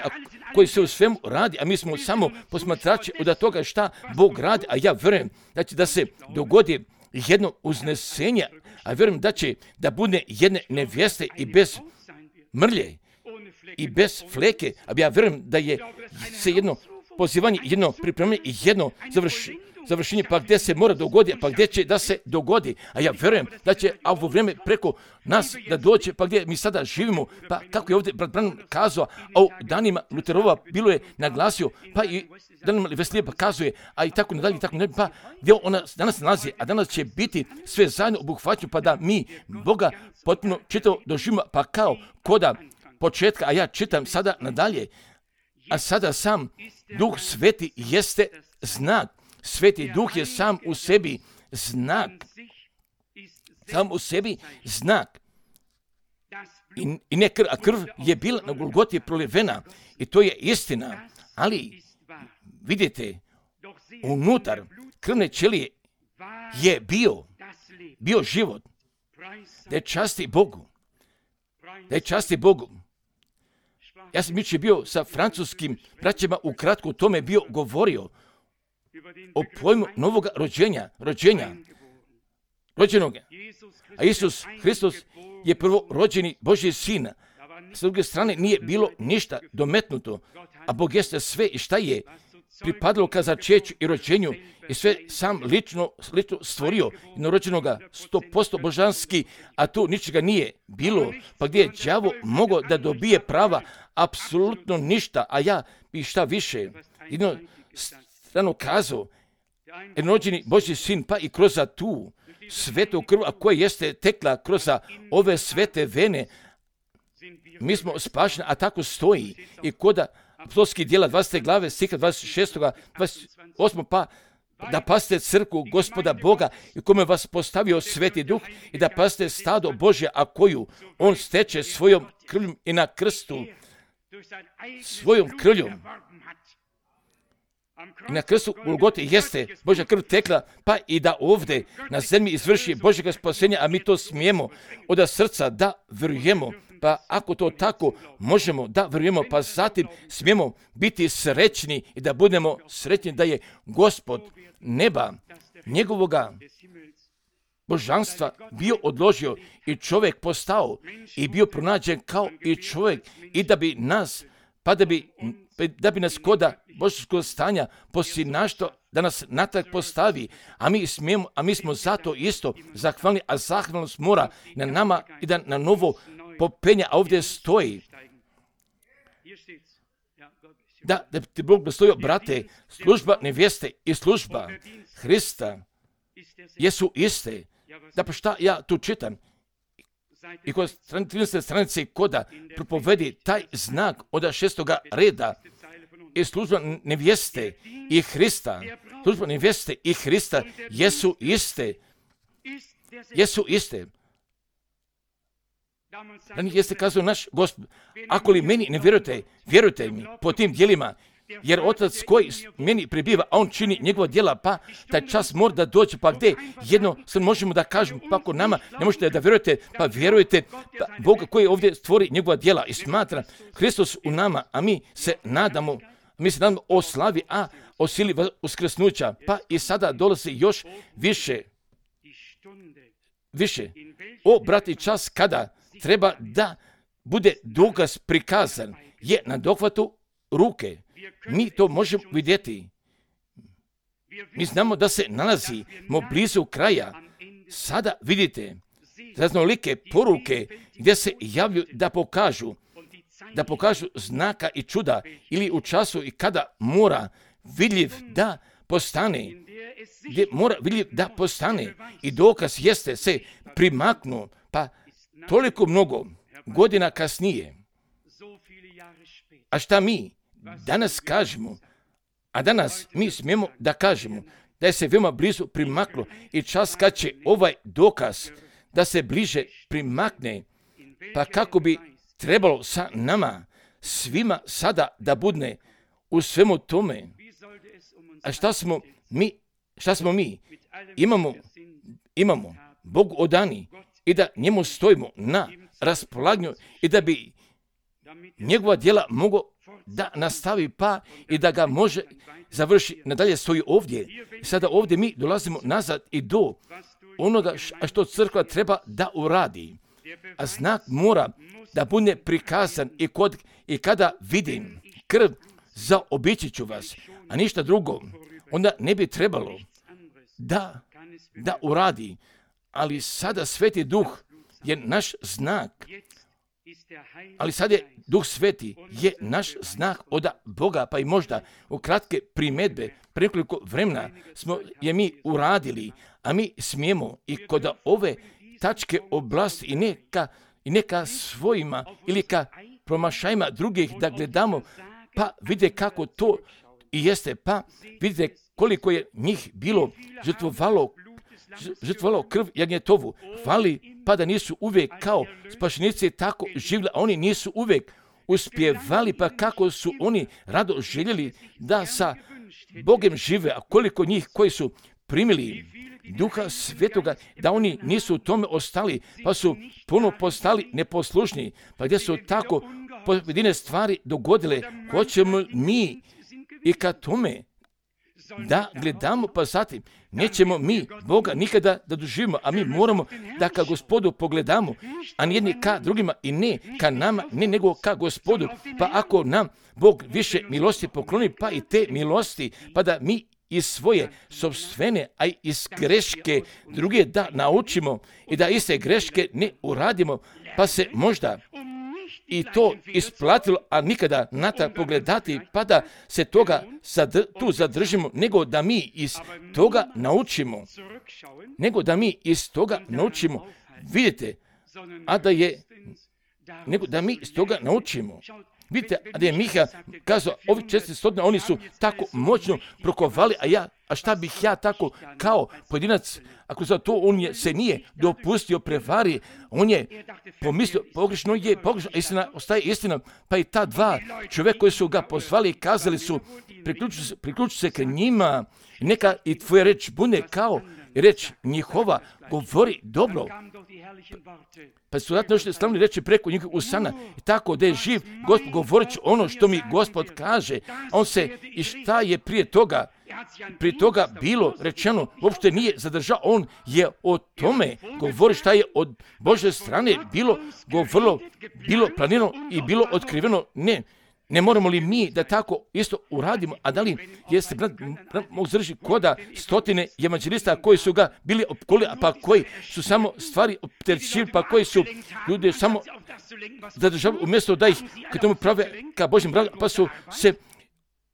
koji se u svemu radi, a mi smo samo posmatrači od toga šta Bog radi, a ja vjerujem da se dogodi jedno uznesenje, a vjerujem da će da bude jedne nevjeste i bez mrlje i bez fleke, a ja vjerujem da je se jedno pozivanje, jedno pripremljanje i jedno završenje, pa gdje se mora dogoditi, pa gdje će da se dogodi. A ja vjerujem da će ovo vrijeme preko nas da dođe, pa gdje mi sada živimo, pa kako je ovdje brat Branham kazao, a u danima Luterova bilo je naglasio, pa i danima Weslija pa kazuje, a i tako nadalje, pa gdje ona danas nalazi, a danas će biti sve zajedno obuhvaćeno, pa da mi Boga potpuno čitavo doživimo, pa kao koda početka, a ja čitam sada nadalje, a sada sam Duh Sveti jeste znak. Sveti Duh je sam u sebi znak. Sam u sebi znak. I ne krv, a krv je bila na Golgoti prolivena. I to je istina. Ali, vidite, unutar krvne ćelije je bio život. Da je časti Bogu. Da je časti Bogu. Ja sam jučer bio sa francuskim braćama, ukratko o tome bio govorio. O pojmu novog rođenog. A Isus Hristos je prvo rođeni Božji sin. S druge strane nije bilo ništa dometnuto, a Bog jeste sve i šta je pripadalo ka začeću i rođenju i sve sam lično stvorio jednorođenoga 100% božanski, a tu ničega nije bilo, pa gdje je đavo mogao da dobije prava apsolutno ništa, a ja bi šta više jedno strano kazao, jednorođeni Božji sin, pa i kroz tu svetu krv, a koja jeste tekla kroz ove svete vene, mi smo spašeni, a tako stoji i koda apostolskih djela 20. glave, stiha 26. 28. pa da pasite crkvu Gospoda Boga i kome vas postavio Sveti Duh i da pasite stado Božje, a koju on steče svojom krvljom i na krstu, svojom krvljom. I na krstu Golgote jeste Božja krv tekla, pa i da ovdje na zemlji izvrši Božjega spasenja, a mi to smijemo od srca da vjerujemo. Pa ako to tako možemo da vjerujemo, pa zatim smijemo biti srećni i da budemo srećni da je Gospod neba, njegovoga božanstva bio odložio i čovjek postao i bio pronađen kao i čovjek i da bi nas, pa da bi nas koda božanskog stanja posinašto da nas natrag postavi, a mi smo zato isto zahvalni, a zahvalnost mora na nama i da na novo popenja, a ovdje stoji da ti Bog blagoslovio, brate, služba nevjeste i služba Hrista jesu iste. Da pa šta ja tu čitam? I kod 13. stranice koda propovedi taj znak od 6. reda i služba nevjeste i Hrista. Služba nevjeste i Hrista jesu iste. Jesu iste. Da mi jeste kazao naš Gospod, ako li meni ne vjerujete, vjerujte mi po tim djelima, jer Otac koji meni prebiva, a on čini njegova djela, pa taj čas mora da dođe, pa gdje jedno sad možemo da kažemo, pa ako nama ne možete da vjerujete, pa vjerujete pa Boga koji ovdje stvori njegova djela i smatra Hristos u nama, a mi se nadamo o slavi, a o sili uskrsnuća, pa i sada dolazi još više. O, brati, čas kada treba da bude dokaz prikazan, je na dohvatu ruke. Mi to možemo vidjeti. Mi znamo da se nalazimo blizu kraja. Sada vidite raznolike poruke gdje se javljaju da pokažu znaka i čuda ili u času i kada mora vidljiv da postane. Gdje mora vidljiv da postane i dokaz jeste se primaknu, pa toliko mnogo godina kasnije. A šta mi danas kažemo? A danas mi smijemo da kažemo da je se veoma blizu primaklo i čas kad će ovaj dokaz da se bliže primakne, pa kako bi trebalo sa nama svima sada da budne u svemu tome. A šta smo mi? Imamo Bogu odani i da njemu stojimo na raspolaganju i da bi njegova djela mogao da nastavi pa i da ga može završi. Nadalje stoji ovdje. Sada ovdje mi dolazimo nazad i do onoga što crkva treba da uradi. A znak mora da bude prikazan i kada vidim krv, zaobići ću vas, a ništa drugo, onda ne bi trebalo da uradi. Ali sada Sveti Duh je naš znak. Ali sad je Duh Sveti je naš znak od Boga, pa i možda u kratke primjedbe, pre nekoliko vremena smo je mi uradili, a mi smijemo i kod ove tačke oblasti i neka svojima ili ka promašajima drugih da gledamo, pa vide kako to i jeste, pa vidite koliko je njih bilo žrtvovalo krv jagnjetovu. Hvali, pa da nisu uvijek kao spašenici tako živjeli, a oni nisu uvijek uspjevali, pa kako su oni rado željeli da sa Bogom žive, a koliko njih koji su primili Duha Svetoga, da oni nisu u tome ostali, pa su puno postali neposlušni, pa gdje su tako pojedine stvari dogodile, hoćemo mi i ka tome da gledamo, pa zatim nećemo mi Boga nikada da doživimo, a mi moramo da ka Gospodu pogledamo, a nijedni ka drugima i ne ka nama, ne nego ka Gospodu, pa ako nam Bog više milosti pokloni, pa i te milosti, pa da mi iz svoje sopstvene, a i iz greške druge da naučimo i da iste greške ne uradimo, pa se možda i to isplatilo, a nikada na ta pogledati, pa da se toga tu zadržimo, nego da mi iz toga naučimo, vidite, nego da mi iz toga naučimo. Vidite, a da je Miha kazao, ovi 400, oni su tako moćno prokovali, a šta bih ja tako kao pojedinac, ako za to on se nije dopustio prevari, on je pomislio, pogrešno, a istina ostaje istina, pa i ta dva čovjeka koji su ga pozvali i kazali su, priključi se k njima, neka i tvoja reč bude kao reč njihova, govori dobro. Pa su zato nešto slavni reći preko njihovih usana, i tako da je živ Gospod govorit će ono što mi Gospod kaže, a on se i šta je prije toga bilo rečeno, uopšte nije zadržao, on je o tome govori šta je od Božje strane bilo govorilo, bilo planirano i bilo otkriveno. Ne moramo li mi da tako isto uradimo, a da li jeste mogu zadržiti koda stotine evanđelista koji su ga bili opkolili, pa koji su samo stvari opterećivali, pa koji su ljudi samo zadržavali umjesto da ih kad tomu prave ka Božjem radu, pa su se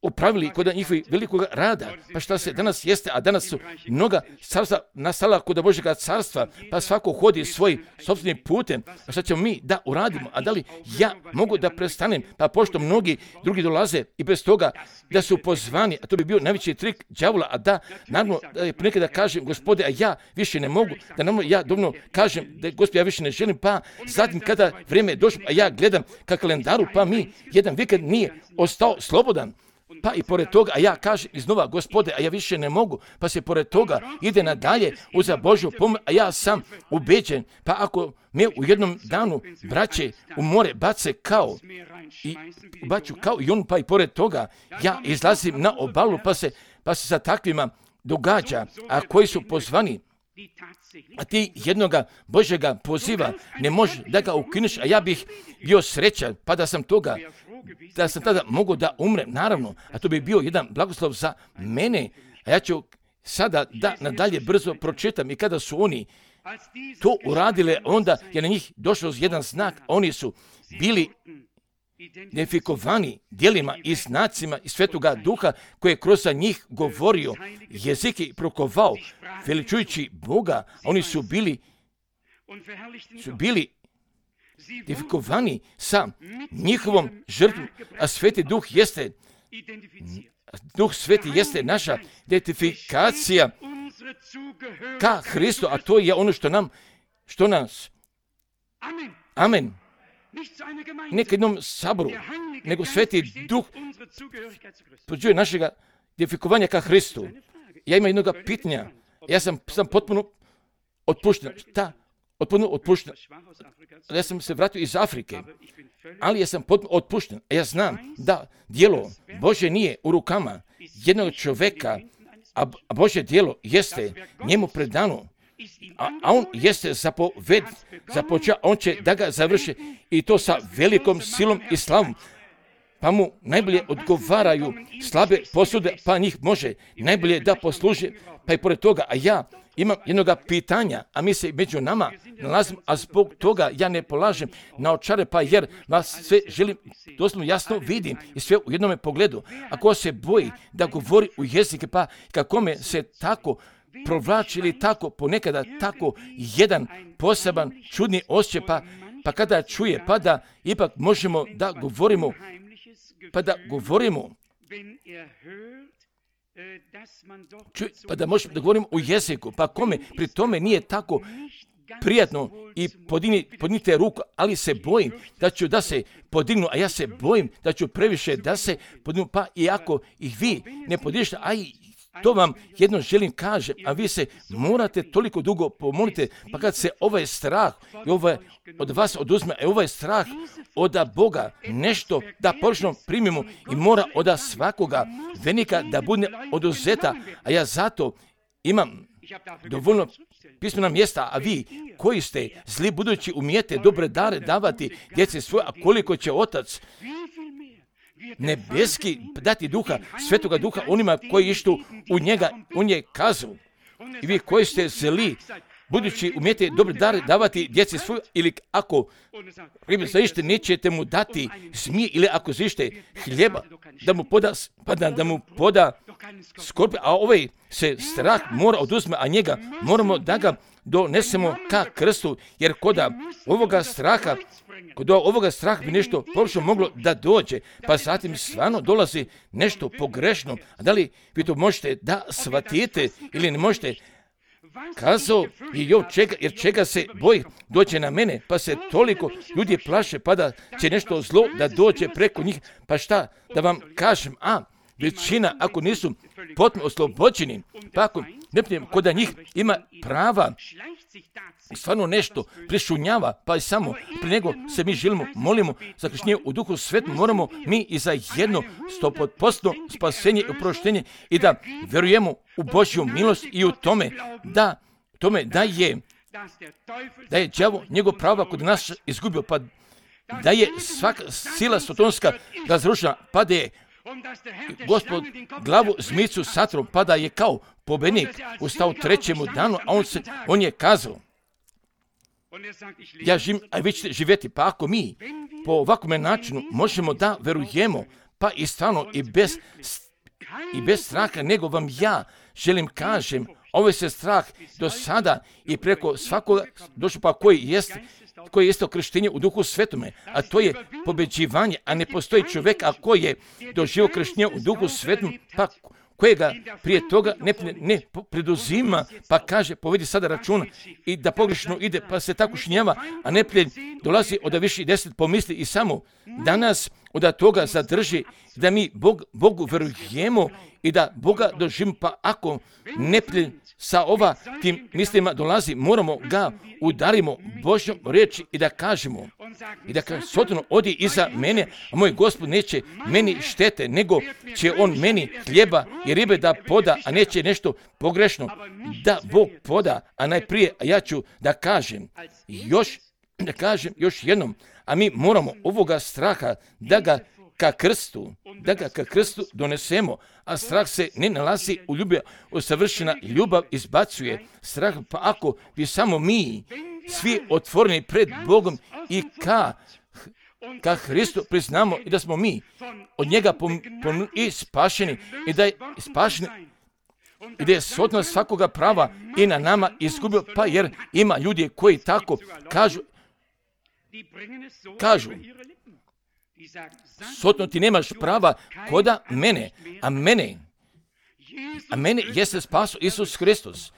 upravili kod njihovih velikog rada. Pa šta se danas jeste, a danas su mnoga carstva nastala kod Božjega carstva, pa svako hodi svojim sopstvenim putem. A šta ćemo mi da uradimo? A da li ja mogu da prestanem? Pa pošto mnogi drugi dolaze i bez toga da su pozvani, a to bi bio najveći trik đavola, a da, naravno, ponekad da kažem, Gospode, a ja više ne mogu, da naravno ja dovoljno kažem da Gospode, ja više ne želim, pa zatim kada vrijeme je došlo, a ja gledam ka kalendaru, pa mi jedan vikend nije ostao slobodan. Pa i pored toga, a ja kažem iznova, Gospode, a ja više ne mogu, pa se pored toga ide nadalje uza Božju pomoć, a ja sam ubeđen, pa ako me u jednom danu braće u more bace kao i on, pa i pored toga, ja izlazim na obalu, pa se sa takvima događa, a koji su pozvani a ti jednoga Božjega poziva ne možeš da ga ukineš, a ja bih bio srećan, pa da sam tada mogao da umrem, naravno, a to bi bio jedan blagoslov za mene, a ja ću sada da nadalje brzo pročitam. I kada su oni to uradile, onda je na njih došao jedan znak, oni su bili identifikovani djelima i znacima i Svetoga Duha koji je kroz njih govorio, jezike prokovao, veličujući Boga. Oni su bili identifikovani sa njihovom žrtvom, a Sveti Duh jeste, Duh Sveti jeste naša identifikacija ka Hristu, a to je ono što nas, amen, ne ka jednom saboru, nego Sveti Duh pođuje našega identifikovanja ka Hristu. Ja imam jednoga pitanja, ja sam potpuno otpušten. Potpuno otpušten. Ja sam se vratio iz Afrike, ali ja sam potpuno otpušten. Ja znam da djelo Božje nije u rukama jednog čovjeka, a Božje djelo jeste njemu predano, a on jeste započeo, on će da ga završi i to sa velikom silom i slavom. Pa mu najbolje odgovaraju slabe posude, pa njih može najbolje da posluži, pa i pored toga, a ja imam jednoga pitanja, a mi se među nama nalazimo, a zbog toga ja ne polažem na očare, pa jer vas sve želim, doslovno jasno vidim i sve u jednome pogledu. Ako se boji da govori u jezike, pa kako me se tako provlači ili tako ponekada tako jedan poseban čudni osjećaj, pa kada čuje, pa da ipak možemo da govorimo, pa da možemo da govorimo u jeziku, pa kome pri tome nije tako prijatno i podignite ruku, ali se bojim da se podignu, a ja se bojim da ću previše da se podignu, pa i ako ih vi ne podignete, a i to vam jedno želim kaže, a vi se morate toliko dugo pomolite, pa kad se ovaj strah i ovaj od vas oduzme, ovaj strah od Boga nešto da površno primimo i mora od svakoga venika da bude oduzeta, a ja zato imam dovoljno pismena mjesta, a vi koji ste zli budući umijete dobre dare davati djeci svoje, a koliko će Otac nebeski dati duha, Svetoga Duha onima koji ištu u njega, on je kazao. I vi koji ste zli, budući umijete dobre dare davati djeci svoje, ili ako zaište nećete mu dati zmije, ili ako zaište hljeba, da mu poda skorpija, a ovaj se strah mora oduzme, a njega moramo da ga donesemo ka krstu, jer kod ovoga straha bi nešto površno moglo da dođe, pa zatim stvarno dolazi nešto pogrešno. A da li vi to možete da shvatite ili ne možete? Kazao je Jov jer čega se boji dođe na mene, pa se toliko ljudi plaše, pa da će nešto zlo da dođe preko njih, pa šta da vam kažem, većina ako nisu potpuno oslobođeni, pa ako ne kod njih ima prava, stvarno nešto prišunjava, pa i samo prije nego se mi želimo, molimo za krštenje u Duhu Svetom, moramo mi i za jedno 100% spasenje i oproštenje i da vjerujemo u Božju milost i u tome da je đavo njegov prava kod nas izgubio, pa da je svaka sila sotonska razrušena, pa da je Gospod glavu zmicu satrom, pa da je kao pobednik ustao trećemu danu, a on je kazao, ja živim, a vi ćete živjeti. Pa ako mi po ovakvom načinu možemo da verujemo, pa i stvarno i bez straha, nego vam ja želim kažem, ovaj se strah do sada i preko svakoga došao, pa koji jeste krštenje u Duhu Svetome, a to je pobeđivanje, a ne postoji čovjek koji je doživio krštenje u Duhu Svetom, pa kojega prije toga ne preduzima, pa kaže, povedi sada računa i da pogrešno ide, pa se tako šinjava, a neprijatelj dolazi od viši 10 pomisli i samo danas od toga zadrži da mi Bogu verujemo i da Boga doživimo, pa ako neprijatelj sa tim mislima dolazi, moramo ga udarimo Božjom riječi i da kažemo, Sotonu, odi iza mene, a moj Gospod neće meni štete, nego će on meni hljeba i ribe da poda, a neće nešto pogrešno da Bog poda, a najprije ja ću da kažem još jednom, a mi moramo ovoga straha da ga ka krstu donesemo, a strah se ne nalazi u ljubavi, savršena ljubav izbacuje strah, pa ako bi samo mi svi otvoreni pred Bogom i ka Hristu priznamo i da smo mi od njega i spašeni i da je spašeni i da je Sotona svakoga prava i na nama izgubio, pa jer ima ljudi koji tako kažu Sotno, ti nemaš prava koda mene, a mene jeste spaso Isus Hristos,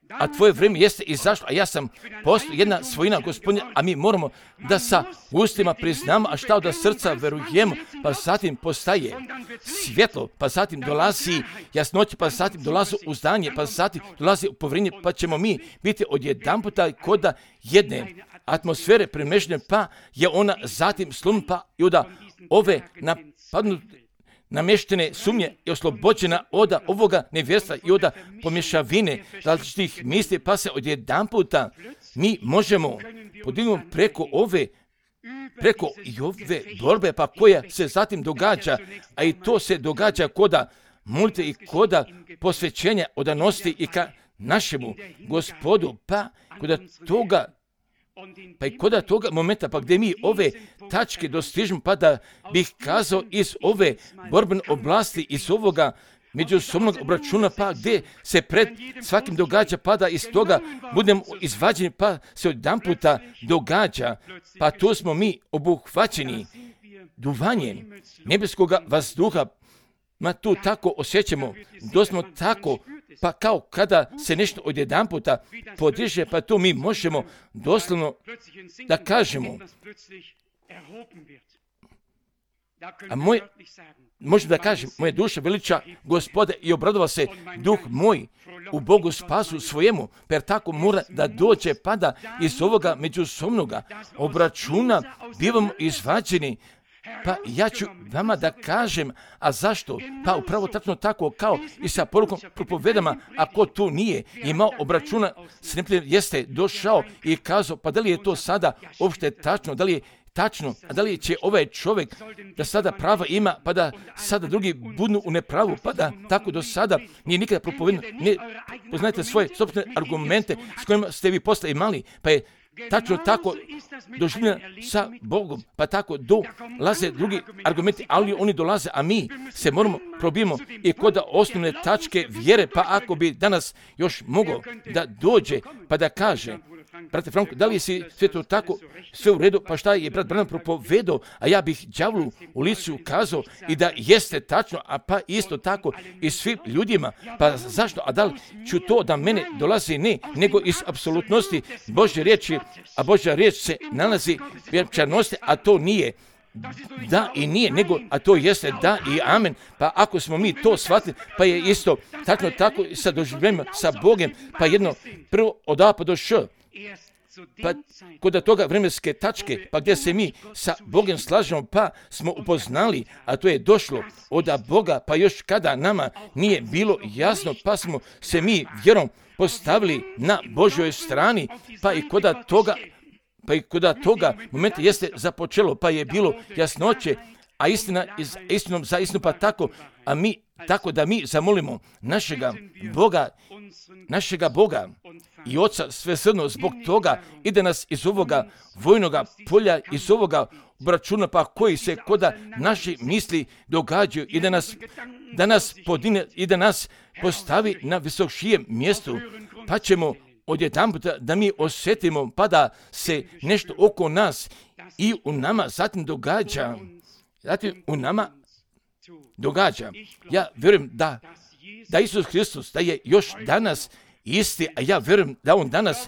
a tvoje vrijeme jeste izašlo, a ja sam postao jedna svojina Gospodnja, a mi moramo da sa ustima priznamo, a šta od srca verujemo, pa zatim postaje svjetlo, pa zatim dolazi jasnoća, pa zatim dolazi uzdanje, pa zatim dolazi povjerenje, pa ćemo mi biti odjedanputa koda jedne atmosfere premešljene, pa je ona zatim slum, pa i onda ove namještene sumnje je oslobođena od ovoga nevjerstva i od pomješavine različitih misli, pa se odjedanputa mi možemo podignuti preko ove borbe, pa koja se zatim događa, a i to se događa koda molitve i koda posvećenja odanosti i ka našemu Gospodu, pa i kod toga momenta, pa gdje mi ove tačke dostižemo, pa da bih kazao iz ove borbene oblasti, iz ovoga međusobnog obračuna, pa gdje se pred svakim događa, pa da iz toga budemo izvađeni, pa se odjedanputa događa, pa tu smo mi obuhvaćeni duvanjem nebeskoga vazduha, ma tu tako osjećamo, doslovno tako, pa kao kada se nešto odjedanputa podiže, pa tu mi možemo doslovno da kažemo, a možemo da kažem, moja duša veliča Gospoda i obradova se duh moj u Bogu spasu svojemu, per tako mora da dođe, pa da iz ovoga međusobnoga obračuna bivamo izvađeni. Pa ja ću vama da kažem, a zašto? Pa upravo tačno tako kao i sa porukom propovedama, ako tu nije imao obračuna s neprijateljem, jeste došao i kazao, pa da li je to sada uopšte tačno, da li je tačno, a da li će ovaj čovjek da sada prava ima, pa da sada drugi budu u nepravu, pa da tako do sada nije nikada propovedano, ne poznajete svoje sopstvene argumente s kojima ste vi posle imali, pa je tačno tako doživljena sa Bogom, pa tako dolaze drugi argumenti, ali oni dolaze, a mi se moramo probijemo i kod osnovne tačke vjere, pa ako bi danas još mogao da dođe, pa da kaže, brate Franko, da li si sve to tako, sve u redu, pa šta je brat Branham propovedao, a ja bih đavlu u licu kazao i da jeste tačno, a pa isto tako i svim ljudima, pa zašto, a da li ću to da mene dolazi ne, nego iz apsolutnosti Božje riječi, a Božja riječ se nalazi u vječnosti, a to nije da i nije, nego, a to jeste da i amen, pa ako smo mi to shvatili, pa je isto tačno tako i sa doživljenjem sa Bogom, pa jedno prvo od A pa do Š, pa kod toga vremenske tačke, pa gdje se mi sa Bogom slažemo, pa smo upoznali, a to je došlo od Boga, pa još kada nama nije bilo jasno, pa smo se mi vjerom postavili na Božjoj strani, pa i kod toga momenta jeste započelo, pa je bilo jasnoće, a istina istinom za istinu, pa tako, a mi tako da mi zamolimo našega Boga i Oca svesrdno zbog toga ide nas iz ovoga vojnoga polja, iz ovoga obračuna, pa koji se koda naši misli događaju i da nas podine i da nas postavi na visokšijem mjestu, pa ćemo odjedanputa da mi osjetimo, pa da se nešto oko nas i u nama zatim događa. Ja vjerujem da Isus Hristos, da je još danas isti, a ja vjerujem da on danas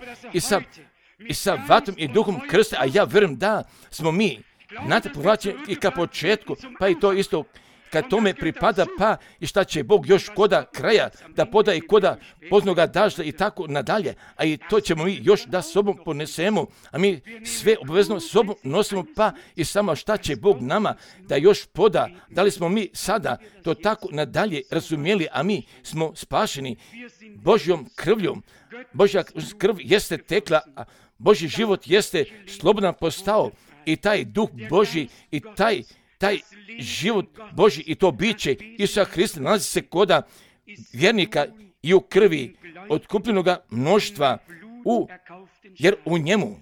i sa vatom i duhom krste, a ja vjerujem da smo mi, znate, povlačeni i ka početku, pa i to isto kad tome pripada, pa i šta će Bog još koda kraja da poda i koda poznoga dažda i tako nadalje, a i to ćemo mi još da sobom ponesemo, a mi sve obavezno sobom nosimo, pa i samo šta će Bog nama da još poda, da li smo mi sada to tako nadalje razumjeli, a mi smo spašeni Božjom krvljom. Božja krv jeste tekla, a Božji život jeste slobodan postao i taj duh Božji i taj život Božji i to biće Isusa Hrista nalazi se koda vjernika i u krvi otkupljenoga mnoštva, jer u njemu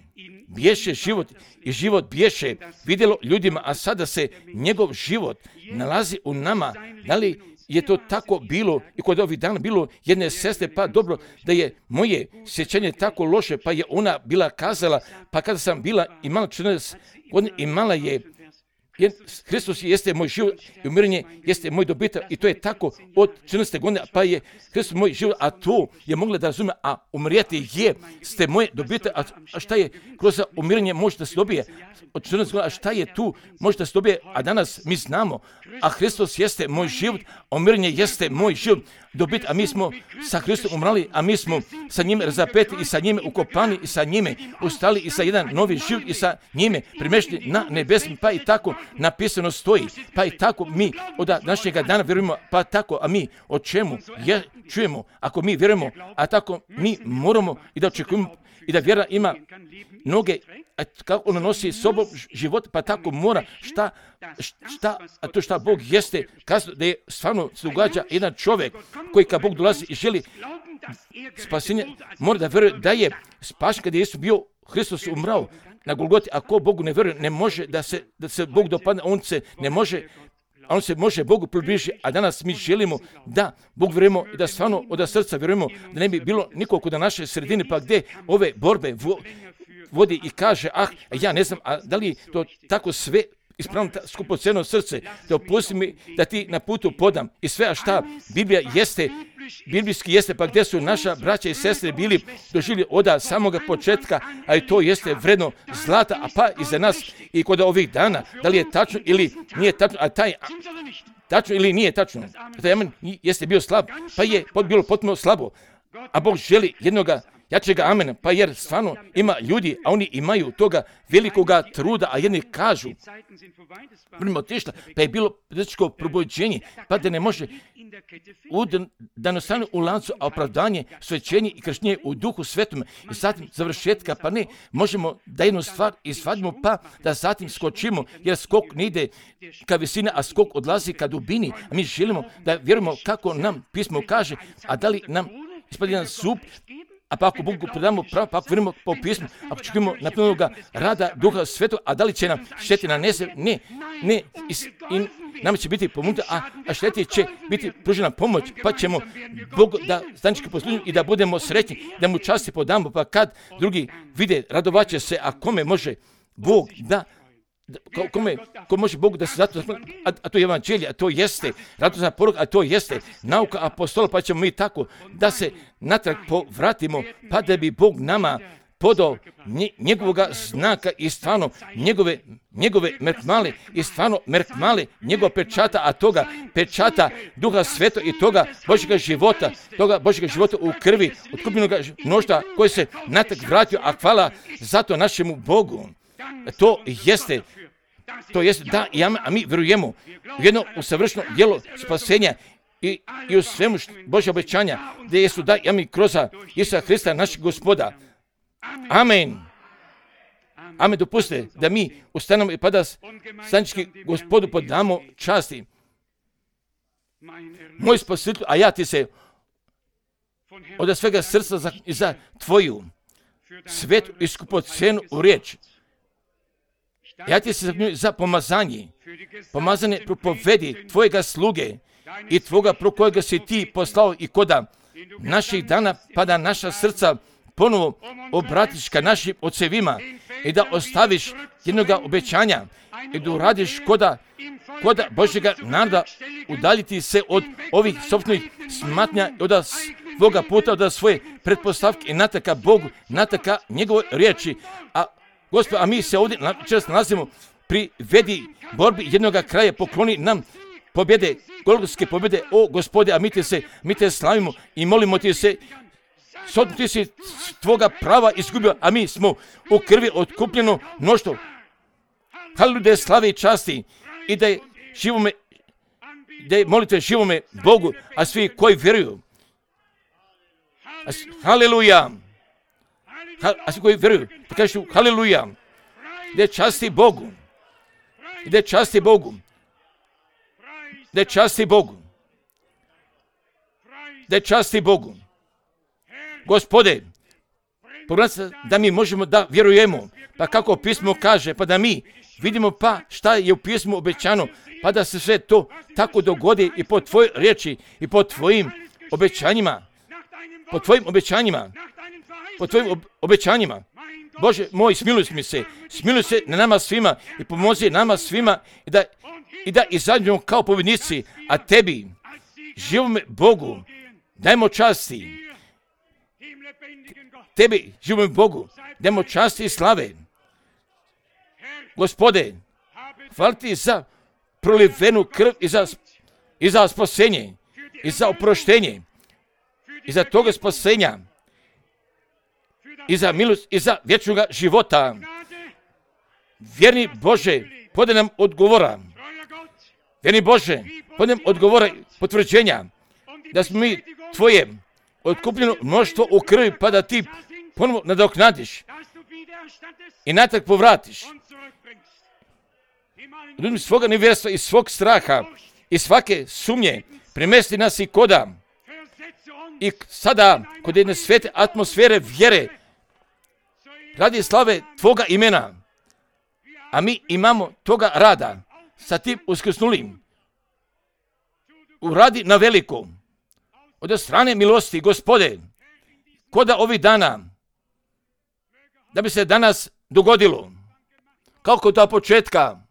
bješe život i život bješe vidjelo ljudima, a sada se njegov život nalazi u nama. Da li je to tako bilo i kod ovih dana bilo jedne sestre, pa dobro da je moje sjećanje tako loše, pa je ona bila kazala, pa kada sam bila imala 14 godina, imala je Hristos jeste moj život i umirenje jeste moj dobitak i to je tako od 14. godine, pa je Hristos moj život, a to je mogla da razume, a umrijeti ste moje dobitak, a šta je kroz umirenje može da se dobije od 14 godina, a šta je tu može da se dobije, a danas mi znamo, a Hristos jeste moj život, a umirenje jeste moj život, dobit, a mi smo sa Hristom umrali, a mi smo sa njime razapeti i sa njime ukopani i sa njime ustali i sa jedan novi život i sa njime primješteni na nebesmi, pa i tako napisano stoji, pa i tako mi od današnjega dana vjerujemo, pa tako, a mi o čemu čujemo, ako mi vjerujemo, a tako mi moramo i da očekujemo i da vjera ima noge, kako ona nosi sobom život, pa tako mora a to šta Bog jeste, kazao da je stvarno se događa jedan čovjek koji kad Bog dolazi i želi spasenje, mora da vjeruje da je spašen kad je Isus bio Hristos umrao na Golgoti. Ako Bogu ne vjeruje, ne može da se Bog dopadne, on se može Bogu približiti, a danas mi želimo da Bog vjerujemo i da stvarno od srca vjerujemo, da ne bi bilo nikog na naše sredine, pa gdje ove borbe vodi i kaže, ja ne znam, a da li to tako sve ispravno skupocjeno srce, da opusti mi da ti na putu podam i sve, a šta Biblija jeste, biblijski jeste, pa gdje su naša braća i sestre bili doživjeli od samoga početka, a i to jeste vredno zlata, a pa i za nas i kod ovih dana, da li je tačno ili nije tačno, a taj tačno ili nije tačno, taj amen jeste bio slab, pa je bilo potpuno slabo, a Bog želi jednoga jačega amena, pa jer stvarno ima ljudi, a oni imaju toga velikoga truda, a jedni kažu, primo otišla, pa je bilo dečko probuđenje, pa da ne može da nastane u lancu opravdanje, svećenje i krštenje u duhu svetom i zatim završetka, pa ne, možemo da jednu stvar izvadimo, pa da zatim skočimo, jer skok ne ide ka visini, a skok odlazi ka dubini, a mi želimo da vjerujemo kako nam pismo kaže, a da li nam ispadi jedan zub, a pa ako Bogu predamo pravo, pa ako vjerujemo po pismu, ako čekujemo napunjenog rada Duha Svetog, a da li će nam šteti nanese? Ne, i nama će biti pomognuto, a šteti će biti pružena pomoć, pa ćemo Bogu da stanički poslužimo i da budemo sretni, da mu časti podamo, pa kad drugi vide, radovaće se, a kome može Bog ko može Bogu da se zato, a to je evanđelje, a to jeste radosna poruka, a to jeste nauka apostola, pa ćemo mi tako da se natrag povratimo, pa da bi Bog nama podao njegovoga znaka i stvarno njegove merkmale i stvarno merkmale njegova pečata, a toga pečata Duha Svetog i toga Božjega života u krvi otkupljenog mnoštva koji se natrag vratio, a hvala zato našemu Bogu. To jeste, da, a mi vjerujemo u jedno usavršeno djelo spasenja i u svemu Božja obećanja, gdje su mi kroz Isusa Hrista našeg Gospoda. Amen. Amen, dopustite da mi ustanemo i pa da stanički Gospodu podamo časti. Moj spasitelj, a ja ti se od svega srca za tvoju svetu i skupocenu u riječ. Ja ti se za pomazanje propovedi tvojega sluge i tvoga pro kojega si ti poslao i koda naših dana, pa da naša srca ponovo obratiš ka našim ocevima i da ostaviš jednoga obećanja i da uradiš koda Božjega naroda udaljiti se od ovih sopstvenih smatnja i od svoga puta, od svoje pretpostavke i nataka Bogu, nataka njegove riječi. A mi se ovdje često nalazimo pri vedi borbi jednoga kraja, pokloni nam pobjede, golgotske pobjede, o Gospode, a mi te slavimo i molimo ti se, ti si tvoga prava izgubio, a mi smo u krvi otkupljeno mnoštvo. Haleluja, slave i časti i da je molite živome Bogu, a svi koji vjeruju. Haleluja. A svi koji vjeruju, da kažu haleluja. Da je časti Bogu. Da je časti Bogu. Da je časti Bogu. Da je časti Bogu. Gospode, pogledajte da mi možemo da vjerujemo, pa kako pismo kaže, pa da mi vidimo pa šta je u pismu obećano, pa da se sve to tako dogodi i po tvojoj riječi i po tvojim obećanjima. Po tvojim obećanjima. Bože moj, smiluj se na nama svima i pomozi nama svima i da izađemo kao pobjednici, a tebi, živome Bogu, dajmo časti. Tebi, živome Bogu, dajmo časti i slave. Gospode, hvala ti za prolivenu krv i za spasenje, i za oproštenje, i za toga spasenja, i za milost, i za vječnoga života. Vjerni Bože, podaj nam odgovora. Vjerni Bože, podaj nam odgovora i potvrđenja, da smo mi tvoje otkupljeno mnoštvo u krvi, pa da ti ponovo nadoknadiš i natrag povratiš. Ljudima svoga nevjerstva i svog straha i svake sumnje premesti nas i koda. I sada, kod jedne svete atmosfere vjere, radi slave tvoga imena, a mi imamo toga rada sa tim uskrsnulim. Uradi na veliko, od strane milosti, Gospode, koda ovih dana, da bi se danas dogodilo, kao kod početka,